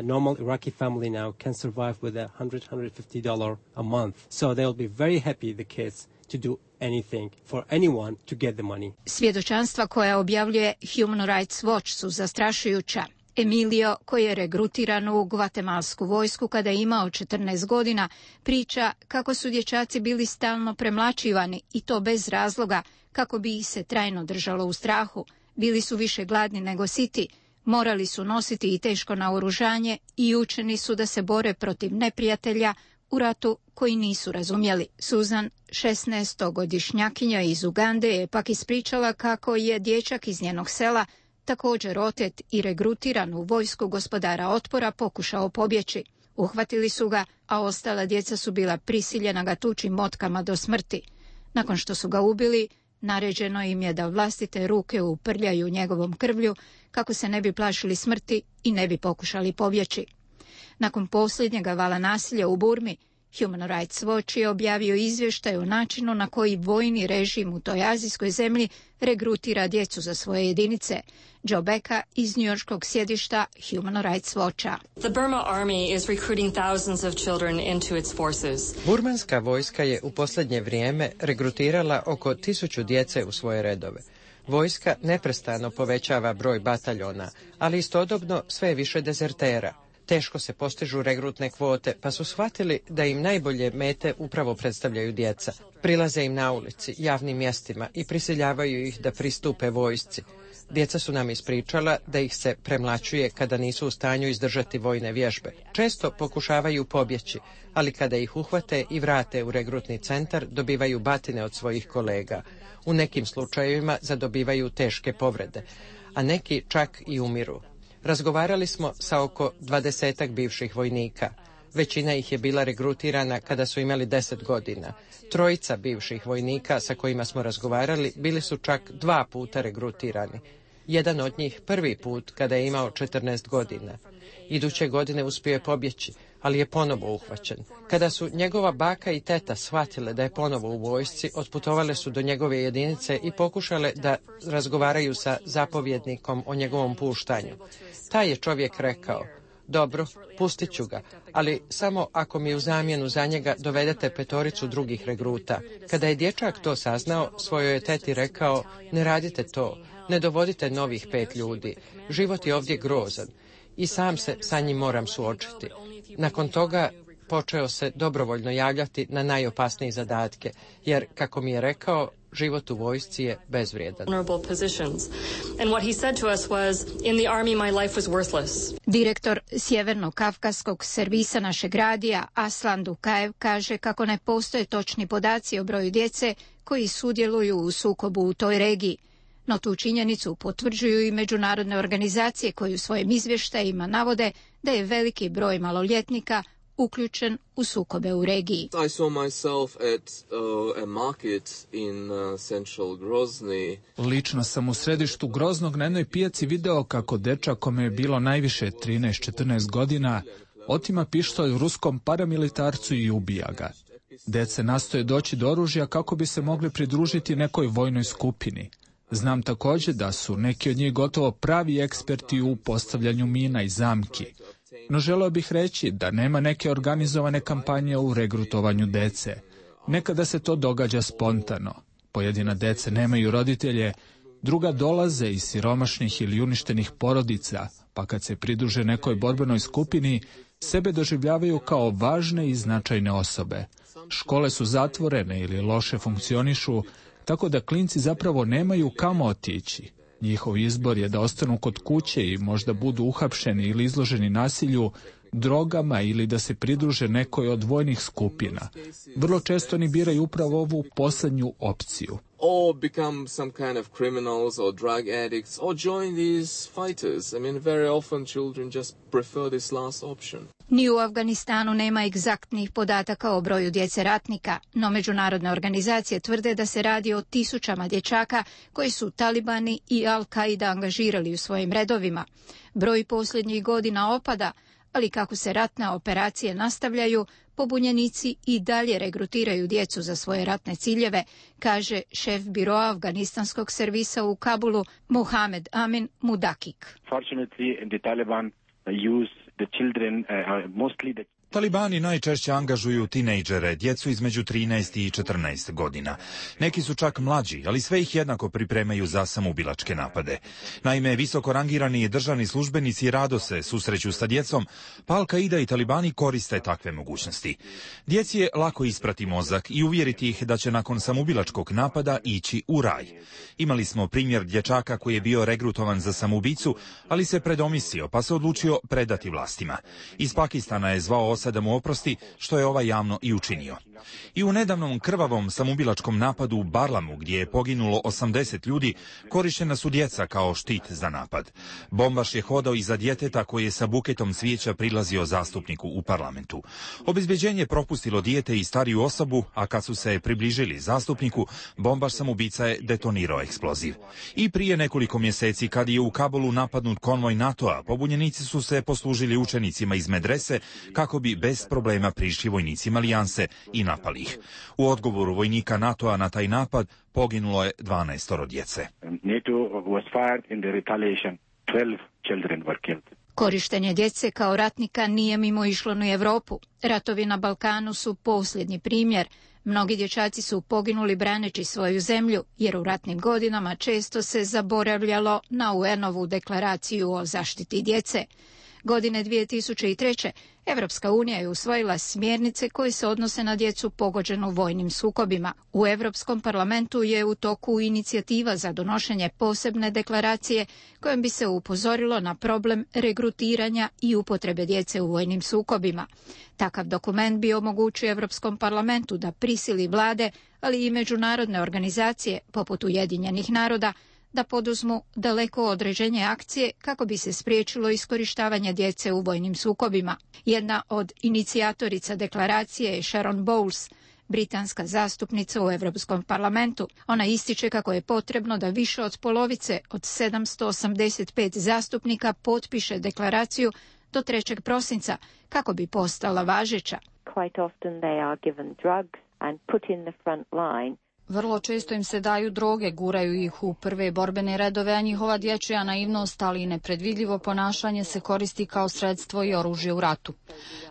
Normal Iraqi family now can survive with $100-150 a month, so they'll be very happy, the kids, to do anything for anyone to get the money. Svjedočanstva koja objavljuje Human Rights Watch su zastrašujuća. Emilio, koji je regrutiran u gvatemalsku vojsku kada je imao 14 godina, priča kako su dječaci bili stalno premlaćivani i to bez razloga, kako bi ih se trajno držalo u strahu. Bili su više gladni nego siti, morali su nositi i teško naoružanje i učeni su da se bore protiv neprijatelja u ratu koji nisu razumjeli. Susan, 16-godišnjakinja iz Ugande, je pak ispričala kako je dječak iz njenog sela, također otet i regrutiran u vojsku gospodara otpora, pokušao pobjeći. Uhvatili su ga, a ostala djeca su bila prisiljena ga tući motkama do smrti. Nakon što su ga ubili, naređeno im je da vlastite ruke uprljaju njegovom krvlju kako se ne bi plašili smrti i ne bi pokušali pobjeći. Nakon posljednjega vala nasilja u Burmi, Human Rights Watch je objavio izvještaj o načinu na koji vojni režim u toj azijskoj zemlji regrutira djecu za svoje jedinice. Joe Becka iz njujorškog sjedišta Human Rights Watcha. The Burma Army is recruiting thousands of children into its forces. Burmanska vojska je u posljednje vrijeme regrutirala oko 1000 djece u svoje redove. Vojska neprestano povećava broj bataljona, ali istodobno sve je više dezertera. Teško se postižu regrutne kvote, pa su shvatili da im najbolje mete upravo predstavljaju djeca. Prilaze im na ulici, javnim mjestima i prisiljavaju ih da pristupe vojsci. Djeca su nam ispričala da ih se premlaćuje kada nisu u stanju izdržati vojne vježbe. Često pokušavaju pobjeći, ali kada ih uhvate i vrate u regrutni centar, dobivaju batine od svojih kolega. U nekim slučajevima zadobivaju teške povrede, a neki čak i umiru. Razgovarali smo sa oko 20 bivših vojnika. Većina ih je bila regrutirana kada su imali 10 godina. 3 bivših vojnika sa kojima smo razgovarali bili su čak 2 puta regrutirani. Jedan od njih prvi put kada je imao 14 godina. Iduće godine uspio je pobjeći, ali je ponovo uhvaćen. Kada su njegova baka i teta shvatile da je ponovo u vojsci, otputovale su do njegove jedinice i pokušale da razgovaraju sa zapovjednikom o njegovom puštanju. Taj je čovjek rekao: dobro, pustit ću ga, ali samo ako mi u zamjenu za njega dovedete 5 drugih regruta. Kada je dječak to saznao, svojoj je teti rekao: ne radite to, ne dovodite novih 5 ljudi, život je ovdje grozan i sam se sa njim moram suočiti. Nakon toga počeo se dobrovoljno javljati na najopasnije zadatke, jer, kako mi je rekao, život u vojsci je bezvrijedan. Direktor Sjeverno-Kavkaskog servisa našeg radija Aslan Dukaev kaže kako ne postoje točni podaci o broju djece koji sudjeluju u sukobu u toj regiji. No tu činjenicu potvrđuju i međunarodne organizacije koji u svojim izvještajima navode da je veliki broj maloljetnika uključen u sukobe u regiji. Lično sam u središtu Groznog na jednoj pijaci video kako dečak kome je bilo najviše 13-14 godina otima pištolj ruskom paramilitarcu i ubija ga. Dece nastoje doći do oružja kako bi se mogli pridružiti nekoj vojnoj skupini. Znam također da su neki od njih gotovo pravi eksperti u postavljanju mina i zamki. No želeo bih reći da nema neke organizovane kampanje u regrutovanju dece. Nekada se to događa spontano. Pojedina dece nemaju roditelje, druga dolaze iz siromašnih ili uništenih porodica, pa kad se pridruže nekoj borbenoj skupini, sebe doživljavaju kao važne i značajne osobe. Škole su zatvorene ili loše funkcionišu, tako da klinci zapravo nemaju kamo otići. Njihov izbor je da ostanu kod kuće i možda budu uhapšeni ili izloženi nasilju, drogama ili da se pridruže nekoj od vojnih skupina. Vrlo često oni biraju upravo ovu posljednju opciju. Or become some kind of criminals or drug addicts or join these fighters. I mean, very often children just prefer this last option. Ni u Afganistanu nema egzaktnih podataka o broju djece ratnika, no međunarodne organizacije tvrde da se radi o tisućama dječaka koji su talibani i Al-Qaida angažirali u svojim redovima. Broj posljednjih godina opada, ali kako se ratne operacije nastavljaju, pobunjenici i dalje regrutiraju djecu za svoje ratne ciljeve, kaže šef biroa afganistanskog servisa u Kabulu Mohamed Amin Mudakik. Fortunately, the Taliban use the children, mostly the Talibani najčešće angažuju tinejdžere, djecu između 13 i 14 godina. Neki su čak mlađi, ali sve ih jednako pripremaju za samoubilačke napade. Naime, visoko rangirani državni službenici rado se susreću sa djecom, pa Al-Qaida i Talibani koriste takve mogućnosti. Djeci je lako isprati mozak i uvjeriti ih da će nakon samoubilačkog napada ići u raj. Imali smo primjer dječaka koji je bio regrutovan za samoubicu, ali se predomislio pa se odlučio predati vlastima. Iz Pakistana je zvao da mu oprosti, što je ovaj javno i učinio. I u nedavnom krvavom samoubilačkom napadu u Barlamu, gdje je poginulo 80 ljudi, korištena su djeca kao štit za napad. Bombaš je hodao iza djeteta koji je sa buketom cvijeća prilazio zastupniku u parlamentu. Obezbeđenje je propustilo dijete i stariju osobu, a kad su se približili zastupniku, bombaš samoubica je detonirao eksploziv. I prije nekoliko mjeseci, kad je u Kabulu napadnut konvoj NATO-a, pobunjenici su se poslužili učenicima iz medrese kako bi bez problema prišli vojnicima alijanse i napali ih. U odgovoru vojnika NATO-a na taj napad poginulo je 12 djece. Korištenje djece kao ratnika nije mimoišlo ni Europu. Ratovi na Balkanu su posljednji primjer. Mnogi dječaci su poginuli braneći svoju zemlju, jer u ratnim godinama često se zaboravljalo na UN-ovu deklaraciju o zaštiti djece. Godine 2003. Evropska unija je usvojila smjernice koje se odnose na djecu pogođenu vojnim sukobima. U Europskom parlamentu je u toku inicijativa za donošenje posebne deklaracije kojom bi se upozorilo na problem regrutiranja i upotrebe djece u vojnim sukobima. Takav dokument bi omogućio Europskom parlamentu da prisili vlade, ali i međunarodne organizacije poput Ujedinjenih naroda da poduzmu daleko određenje akcije kako bi se spriječilo iskorištavanje djece u vojnim sukobima. Jedna od inicijatorica deklaracije je Sharon Bowles, britanska zastupnica u Europskom parlamentu. Ona ističe kako je potrebno da više od polovice od 785 zastupnika potpiše deklaraciju do 3. prosinca kako bi postala važeća. Quite often they are given drugs and put in the front line. Vrlo često im se daju droge, guraju ih u prve borbene redove, a njihova dječja naivnost, ali i nepredvidljivo ponašanje se koristi kao sredstvo i oružje u ratu.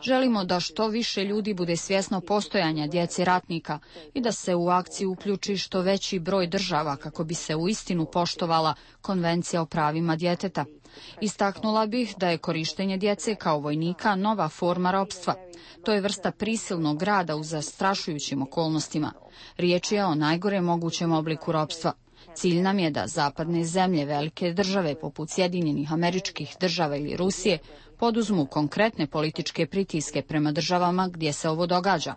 Želimo da što više ljudi bude svjesno postojanja djece ratnika i da se u akciju uključi što veći broj država kako bi se uistinu poštovala Konvencija o pravima djeteta. Istaknula bih da je korištenje djece kao vojnika nova forma ropstva. To je vrsta prisilnog rada u zastrašujućim okolnostima. Riječ je o najgore mogućem obliku ropstva. Cilj nam je da zapadne zemlje, velike države poput Sjedinjenih Američkih Država ili Rusije poduzmu konkretne političke pritiske prema državama gdje se ovo događa.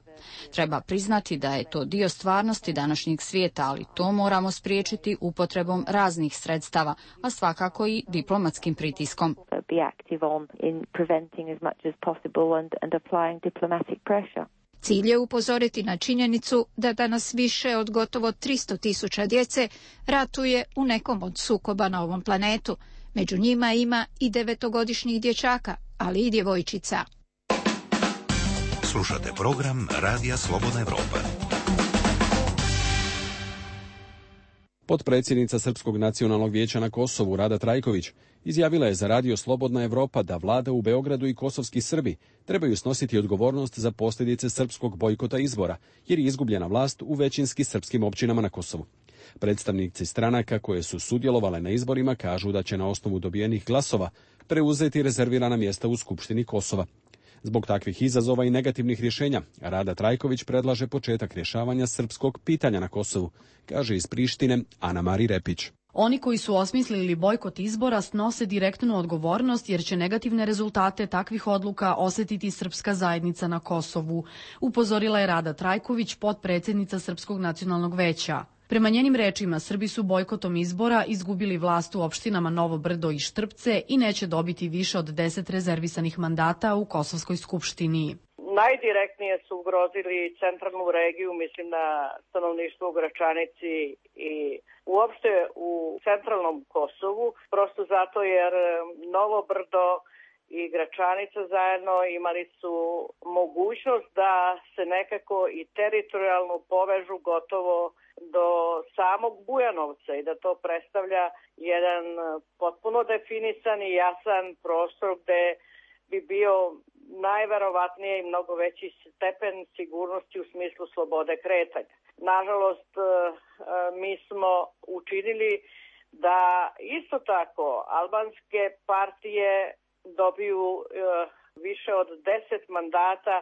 Treba priznati da je to dio stvarnosti današnjeg svijeta, ali to moramo spriječiti upotrebom raznih sredstava, a svakako i diplomatskim pritiskom. Cilj je upozoriti na činjenicu da danas više od gotovo 300.000 djece ratuje u nekom od sukoba na ovom planetu. Među njima ima i 9-godišnjih dječaka, ali i djevojčica. Slušate program Radija Slobodna Evropa. Potpredsjednica Srpskog nacionalnog vijeća na Kosovu Rada Trajković izjavila je za Radio Slobodna Evropa da vlada u Beogradu i kosovski Srbi trebaju snositi odgovornost za posljedice srpskog bojkota izbora, jer je izgubljena vlast u većinski srpskim općinama na Kosovu. Predstavnici stranaka koje su sudjelovale na izborima kažu da će na osnovu dobijenih glasova preuzeti rezervirana mjesta u Skupštini Kosova. Zbog takvih izazova i negativnih rješenja, Rada Trajković predlaže početak rješavanja srpskog pitanja na Kosovu, kaže iz Prištine Ana Mari Repić. Oni koji su osmislili bojkot izbora snose direktnu odgovornost jer će negativne rezultate takvih odluka osjetiti srpska zajednica na Kosovu, upozorila je Rada Trajković, potpredsjednica Srpskog nacionalnog veća. Prema njenim rečima, Srbi su bojkotom izbora izgubili vlast u opštinama Novo Brdo i Štrpce i neće dobiti više od 10 rezervisanih mandata u Kosovskoj skupštini. Najdirektnije su ugrozili centralnu regiju, mislim na stanovništvo u Gračanici i uopšte u centralnom Kosovu, prosto zato jer Novo Brdo i Gračanica zajedno imali su mogućnost da se nekako i teritorijalno povežu gotovo do samog Bujanovca i da to predstavlja jedan potpuno definisan i jasan prostor gde bi bio najverovatnije i mnogo veći stepen sigurnosti u smislu slobode kretanja. Nažalost, mi smo učinili da isto tako albanske partije dobiju više od 10 mandata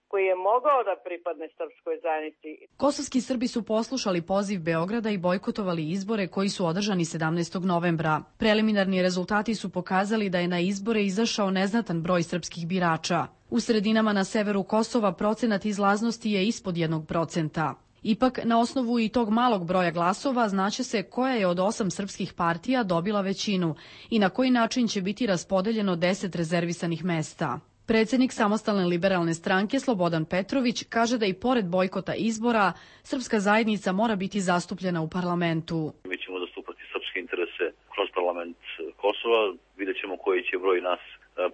koji je mogao da pripadne srpskoj zajednici. Kosovski Srbi su poslušali poziv Beograda i bojkotovali izbore koji su održani 17. novembra. Preliminarni rezultati su pokazali da je na izbore izašao neznatan broj srpskih birača. U sredinama na severu Kosova procenat izlaznosti je ispod 1%. Ipak, na osnovu i tog malog broja glasova znaće se koja je od 8 srpskih partija dobila većinu i na koji način će biti raspodeljeno 10 rezervisanih mesta. Predsjednik Samostalne liberalne stranke Slobodan Petrović kaže da i pored bojkota izbora, srpska zajednica mora biti zastupljena u parlamentu. Mi ćemo zastupati srpske interese kroz parlament Kosova, vidjet ćemo koji će broj nas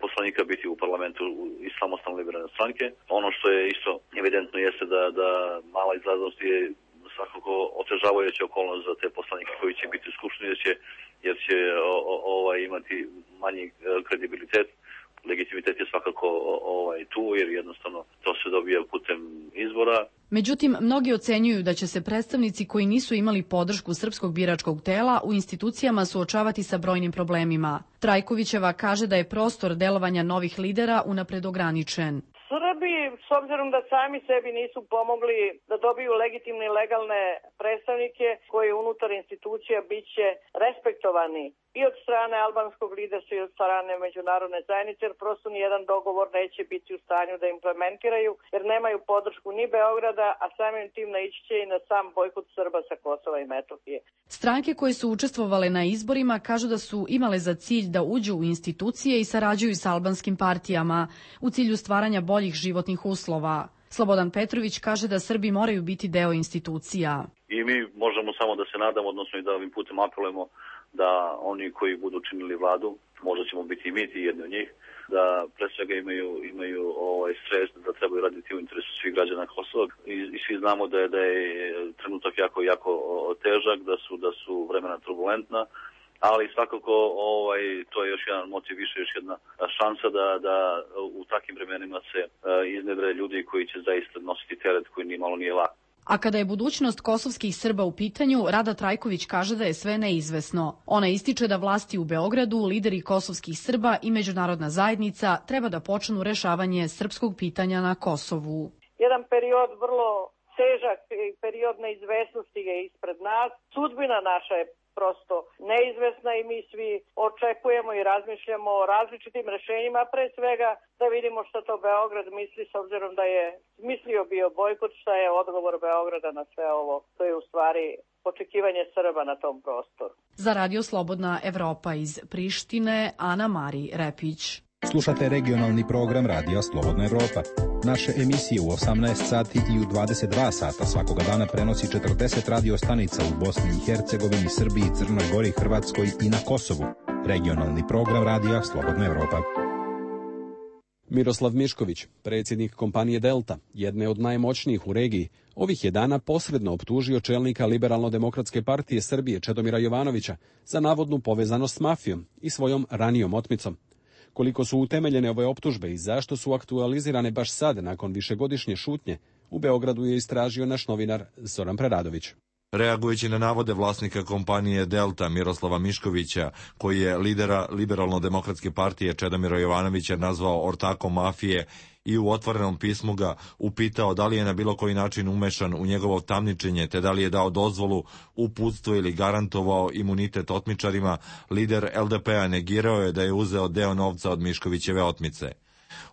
poslanika biti u parlamentu iz Samostalne liberalne stranke. Ono što je isto evidentno jeste da mala izlaznost je svakako otežavajuća okolnost za te poslanike koji će biti u skupštini jer će imati manji kredibilitet. Legitimitet je svakako tu jer jednostavno to se dobija putem izbora. Međutim, mnogi ocenjuju da će se predstavnici koji nisu imali podršku srpskog biračkog tela u institucijama suočavati sa brojnim problemima. Trajkovićeva kaže da je prostor delovanja novih lidera unapred ograničen. Srbi, s obzirom da sami sebi nisu pomogli da dobiju legitimne i legalne predstavnike koji unutar institucija bit će respektovani i od strane albanskog liderstva i od strane međunarodne zajednice, jer prosto nijedan dogovor neće biti u stanju da implementiraju, jer nemaju podršku ni Beograda, a samim tim naići će i na sam bojkot Srba sa Kosova i Metohije. Stranke koje su učestvovale na izborima kažu da su imale za cilj da uđu u institucije i sarađuju sa albanskim partijama u cilju stvaranja boljih životnih uslova. Slobodan Petrović kaže da Srbi moraju biti deo institucija. I mi možemo samo da se nadamo, odnosno i da ovim putem apelujemo da oni koji budu činili vladu, možda ćemo biti i mi ti jedni od njih, da pre svega imaju svest da trebaju raditi u interesu svih građana Kosova i svi znamo da je trenutak jako težak, da su vremena turbulentna, ali svakako to je još jedan motiv više, još jedna šansa da u takvim vremenima se iznedre ljudi koji će zaista nositi teret koji ni malo nije lak. A kada je budućnost kosovskih Srba u pitanju, Rada Trajković kaže da je sve neizvesno. Ona ističe da vlasti u Beogradu, lideri kosovskih Srba i međunarodna zajednica treba da počnu rešavanje srpskog pitanja na Kosovu. Jedan period vrlo težak i period neizvesnosti je ispred nas. Sudbina naša je prosto neizvesna i mi svi očekujemo i razmišljamo o različitim rešenjima, pre svega da vidimo što to Beograd misli, s obzirom da je mislio bio bojkot, šta je odgovor Beograda na sve ovo. To je u stvari očekivanje Srba na tom prostoru. Za Radio Slobodna Evropa iz Prištine, Ana Mari Repić. Slušate regionalni program Radija Slobodna Evropa. Naše emisije u 18 sati i u 22 sata svakoga dana prenosi 40 radio stanica u Bosni i Hercegovini, Srbiji, Crnoj Gori, Hrvatskoj i na Kosovu. Regionalni program Radija Slobodna Evropa. Miroslav Mišković, predsjednik kompanije Delta, jedne od najmoćnijih u regiji, ovih je dana posredno optužio čelnika Liberalno-demokratske partije Srbije Čedomira Jovanovića za navodnu povezanost s mafijom i svojom ranijom otmicom. Koliko su utemeljene ove optužbe i zašto su aktualizirane baš sad, nakon višegodišnje šutnje, u Beogradu je istražio naš novinar Zoran Preradović. Reagujući na navode vlasnika kompanije Delta Miroslava Miškovića, koji je lidera Liberalno-demokratske partije Čedomira Jovanovića nazvao ortakom mafije i u otvorenom pismu ga upitao da li je na bilo koji način umešan u njegovo tamničenje, te da li je dao dozvolu, uputstvo ili garantovao imunitet otmičarima, lider LDP-a negirao je da je uzeo deo novca od Miškovićeve otmice.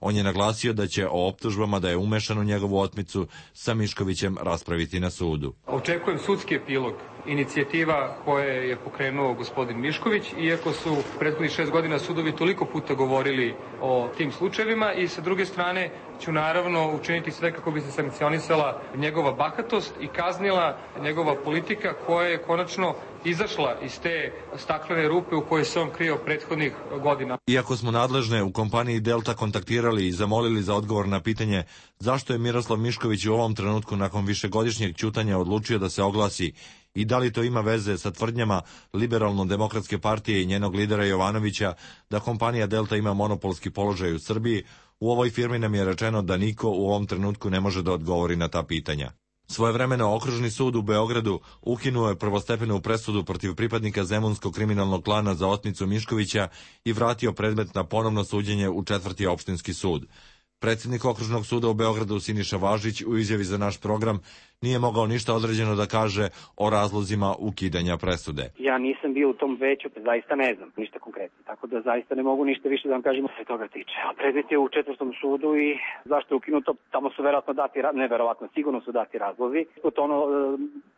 On je naglasio da će o optužbama da je umešan u njegovu otmicu sa Miškovićem raspraviti na sudu. Očekujem sudski epilog inicijativa koje je pokrenuo gospodin Mišković, iako su prethodnih 6 godina sudovi toliko puta govorili o tim slučajevima, i sa druge strane ću naravno učiniti sve kako bi se sankcionisala njegova bahatost i kaznila njegova politika koja je konačno izašla iz te staklene rupe u kojoj se on krio prethodnih godina. Iako smo nadležne u kompaniji Delta kontaktirali i zamolili za odgovor na pitanje zašto je Miroslav Mišković u ovom trenutku nakon višegodišnjeg ćutanja odlučio da se oglasi i da li to ima veze sa tvrdnjama Liberalno-demokratske partije i njenog lidera Jovanovića da kompanija Delta ima monopolski položaj u Srbiji, u ovoj firmi nam je rečeno da niko u ovom trenutku ne može da odgovori na ta pitanja. Svojevremeno Okružni sud u Beogradu ukinuo je prvostepenu presudu protiv pripadnika zemunskog kriminalnog klana za otmicu Miškovića i vratio predmet na ponovno suđenje u 4. opštinski sud. Predsjednik Okružnog suda u Beogradu Siniša Važić u izjavi za naš program nije mogao ništa određeno da kaže o razlozima ukidanja presude. Ja nisam bio u tom veću, pa zaista ne znam ništa konkretno, tako da zaista ne mogu ništa više da vam kažem sve toga tiče. A predmet je u 4. sudu i zašto je ukinuto, tamo su verovatno dati, neverovatno, sigurno su dati razlozi.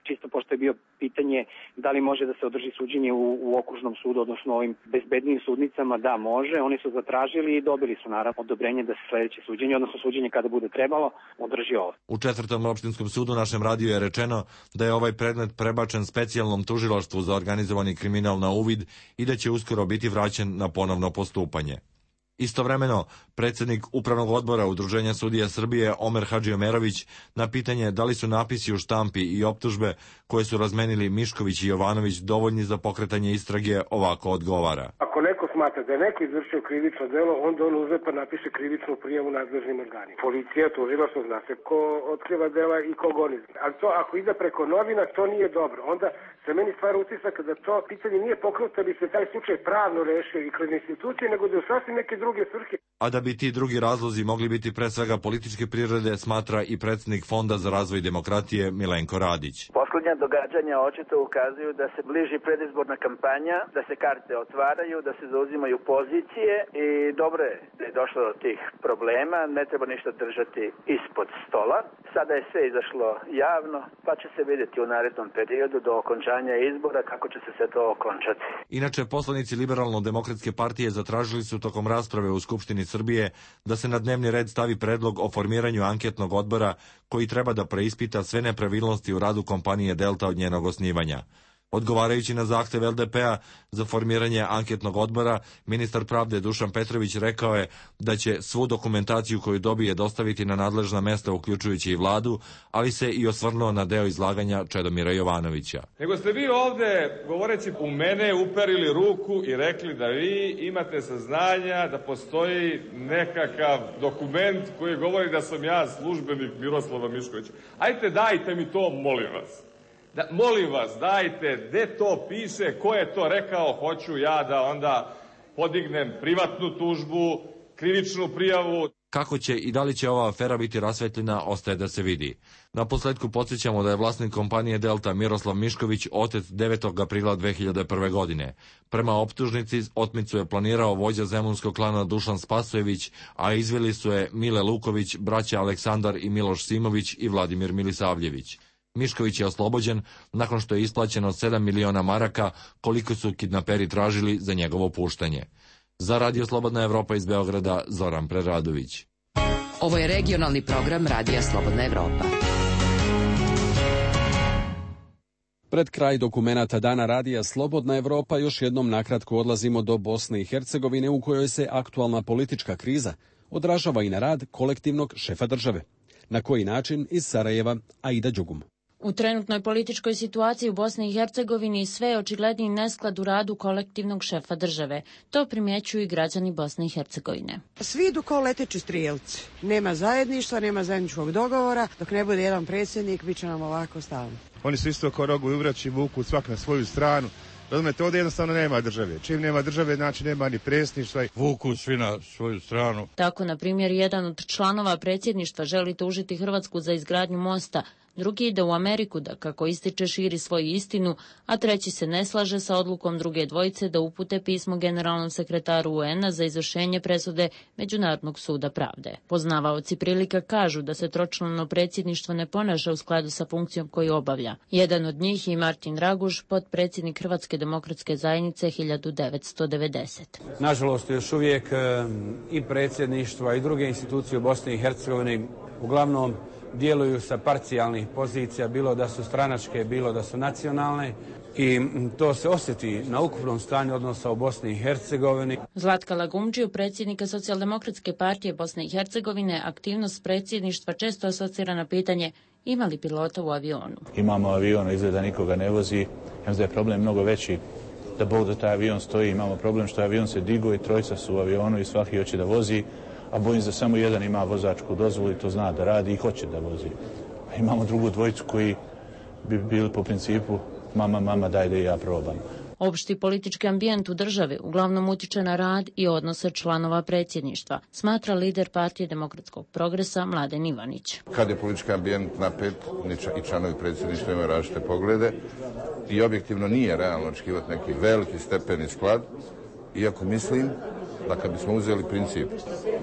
Čisto pošto je bio pitanje da li može da se održi suđenje u Okružnom sudu, odnosno ovim bezbednim sudnicama, da može. Oni su zatražili i dobili su naravno odobrenje da se sledeće suđenje, odnosno suđenje kada bude trebalo, održi ovo. U 4. opštinskom sudu našem radiju je rečeno da je ovaj predmet prebačen specijalnom tužilaštvu za organizovani kriminal na uvid i da će uskoro biti vraćen na ponovno postupanje. Istovremeno, predsjednik Upravnog odbora Udruženja sudija Srbije Omer Hadžiomerović na pitanje da li su napisi u štampi i optužbe koje su razmenili Mišković i Jovanović dovoljni za pokretanje istrage ovako odgovara. Ako neko smatra da je neko izvršio krivično delo, onda on uzme pa napiše krivičnu prijavu nadležnim organima. Policija, tužilaštvo, zna se ko otkriva dela i ko goni. Ali to ako ide preko novina, to nije dobro. Onda se meni stvara utisak da to pitanje nije pokrenuto da bi se taj slučaj pravno rešio i kroz institucije, nego da je sasvim neke druge svrhe. A da bi ti drugi razlozi mogli biti pre svega političke prirode, smatra i predsjednik Fonda za razvoj demokratije Milenko Radić. Poslednja događanja očito ukazuju da se bliži predizborna kampanja, da se karte otvaraju, da se zauzimaju pozicije i dobro je da je došlo do tih problema, ne treba ništa držati ispod stola. Sada je sve izašlo javno, pa će se vidjeti u narednom periodu do okončanja izbora kako će se sve to okončati. Inače, poslanici Liberalno-demokratske partije zatražili su tokom rasprave u Skupštini Srbije da se na dnevni red stavi predlog o formiranju anketnog odbora koji treba da preispita sve nepravilnosti u radu kompanije Delta od njenog osnivanja. Odgovarajući na zahtev LDP-a za formiranje anketnog odbora, ministar pravde Dušan Petrović rekao je da će svu dokumentaciju koju dobije dostaviti na nadležna mesta, uključujući i vladu, ali se i osvrnuo na deo izlaganja Čedomira Jovanovića. Nego ste vi ovde, govoreći u mene, uperili ruku i rekli da vi imate saznanja da postoji nekakav dokument koji govori da sam ja službenik Miroslava Miškovića. Ajte, dajte mi to, molim vas. Molim vas, dajte, gde to piše, ko je to rekao, hoću ja da onda podignem privatnu tužbu, krivičnu prijavu. Kako će i da li će ova afera biti rasvetljena, ostaje da se vidi. Na posledku podsjećamo da je vlasnik kompanije Delta Miroslav Mišković otet 9. aprila 2001. godine. Prema optužnici, otmicu je planirao vođa zemunskog klana Dušan Spasojević, a izveli su je Mile Luković, braća Aleksandar i Miloš Simović i Vladimir Milisavljević. Mišković je oslobođen nakon što je isplaćeno 7 miliona maraka, koliko su kidnaperi tražili za njegovo puštanje. Za Radio Slobodna Evropa iz Beograda, Zoran Preradović. Ovo je regionalni program Radija Slobodna Evropa. Pred kraj dokumenata Dana Radija Slobodna Evropa još jednom nakratko odlazimo do Bosne i Hercegovine, u kojoj se aktualna politička kriza odražava i na rad kolektivnog šefa države. Na koji način? Iz Sarajeva, Aida Đugum. U trenutnoj političkoj situaciji u Bosni i Hercegovini sve je očigledniji nesklad u radu kolektivnog šefa države. To primjećuju i građani Bosne i Hercegovine. Svi idu kao leteći strijelci. Nema zajedništva, nema zajedničkog dogovora. Dok ne bude jedan predsjednik, bit će nam ovako stalno. Oni su isto kao rogu i uvraći, vuku svak na svoju stranu. Razumete, ovdje jednostavno nema države. Čim nema države, znači nema ni predsjedništva. Vuku svi na svoju stranu. Tako, na primjer, jedan od članova predsjedništva želi tužiti Hrvatsku za izgradnju mosta, drugi ide u Ameriku da, kako ističe, širi svoju istinu, a treći se ne slaže sa odlukom druge dvojice da upute pismo generalnom sekretaru UN-a za izvršenje presude Međunarodnog suda pravde. Poznavaoci prilika kažu da se tročlano predsjedništvo ne ponaša u skladu sa funkcijom koju obavlja. Jedan od njih je Martin Raguž, potpredsjednik Hrvatske demokratske zajednice 1990. Nažalost, još uvijek i predsjedništva i druge institucije u Bosni i Hercegovini uglavnom djeluju sa parcijalnih pozicija, bilo da su stranačke, bilo da su nacionalne, i to se osjeti na ukupnom stanju odnosa u Bosni i Hercegovini. Zlatka Lagumdžiju, predsjednika Socijaldemokratske partije Bosne i Hercegovine, aktivnost predsjedništva često asocira na pitanje ima li pilota u avionu. Imamo avion, izgleda nikoga ne vozi, ja mislim da je problem mnogo veći. Da Bog da taj avion stoji, imamo problem što avion se digo i trojica su u avionu i svaki hoće da vozi, a bojim se da samo jedan ima vozačku dozvolu i to zna da radi i hoće da vozi. A imamo drugu dvojicu koji bi bili po principu mama, daj da i ja probam. Opšti politički ambijent u državi uglavnom utiče na rad i odnose članova predsjedništva, smatra lider partije Demokratskog progresa Mladen Ivanić. Kad je politički ambijent napet, i članovi predsjedništva imaju različite poglede i objektivno nije realno očekivati neki veliki stepeni sklad, iako mislim da kad bismo uzeli princip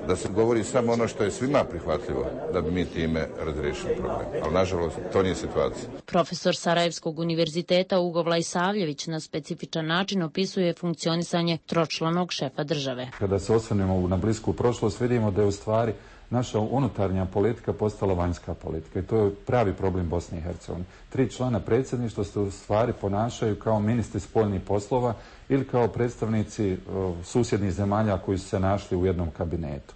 da se govori samo ono što je svima prihvatljivo, da bi mi time razriješili problem. Ali nažalost to nije situacija. Profesor Sarajevskog univerziteta Ugo Vlajsavljević na specifičan način opisuje funkcionisanje tročlanog šefa države. Kada se osvrnemo na blisku prošlost, vidimo da je u stvari naša unutarnja politika postala vanjska politika i to je pravi problem Bosne i Hercegovine. 3 člana predsjedništva se u stvari ponašaju kao ministri spoljnih poslova ili kao predstavnici susjednih zemalja koji su se našli u jednom kabinetu.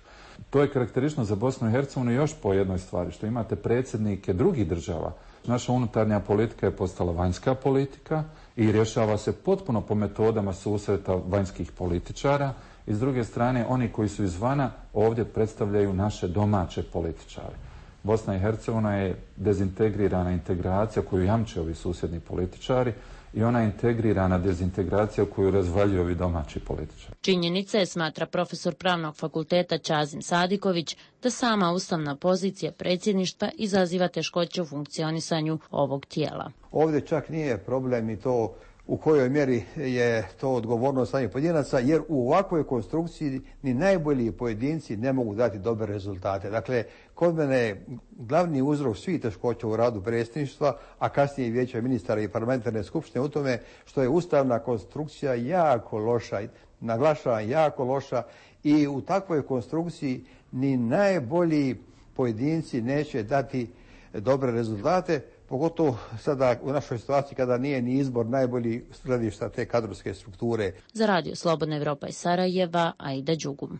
To je karakteristično za Bosnu i Hercegovinu još po jednoj stvari, što imate predsjednike drugih država. Naša unutarnja politika je postala vanjska politika i rješava se potpuno po metodama susreta vanjskih političara. I s druge strane, oni koji su izvana ovdje predstavljaju naše domaće političare. Bosna i Hercegovina je dezintegrirana integracija koju jamče ovi susjedni političari i ona integrirana dezintegracija koju razvaljuju ovi domaći političari. Činjenica je, smatra profesor pravnog fakulteta Ćazim Sadiković, da sama ustavna pozicija predsjedništva izaziva teškoće u funkcionisanju ovog tijela. Ovdje čak nije problem i to u kojoj mjeri je to odgovornost samih pojedinaca, jer u ovakvoj konstrukciji ni najbolji pojedinci ne mogu dati dobre rezultate. Dakle, kod mene je glavni uzrok svih teškoća u radu predsjedništva, a kasnije i vijeća ministara i parlamentarne skupštine u tome što je ustavna konstrukcija jako loša, naglašavam jako loša, i u takvoj konstrukciji ni najbolji pojedinci neće dati dobre rezultate, pogotovo sada u našoj situaciji kada nije ni izbor najbolji gledišta te kadrovske strukture. Za Radio Slobodna Evropa iz Sarajeva, Aida Đugum.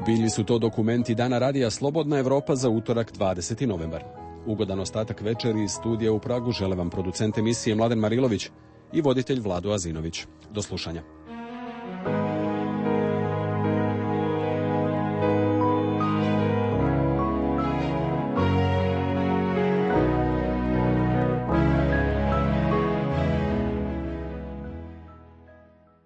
Bili su to dokumenti Dana Radija Slobodna Evropa za utorak 20. novembar. Ugodan ostatak večeri iz studija u Pragu žele vam producent emisije Mladen Marilović i voditelj Vlado Azinović. Do slušanja.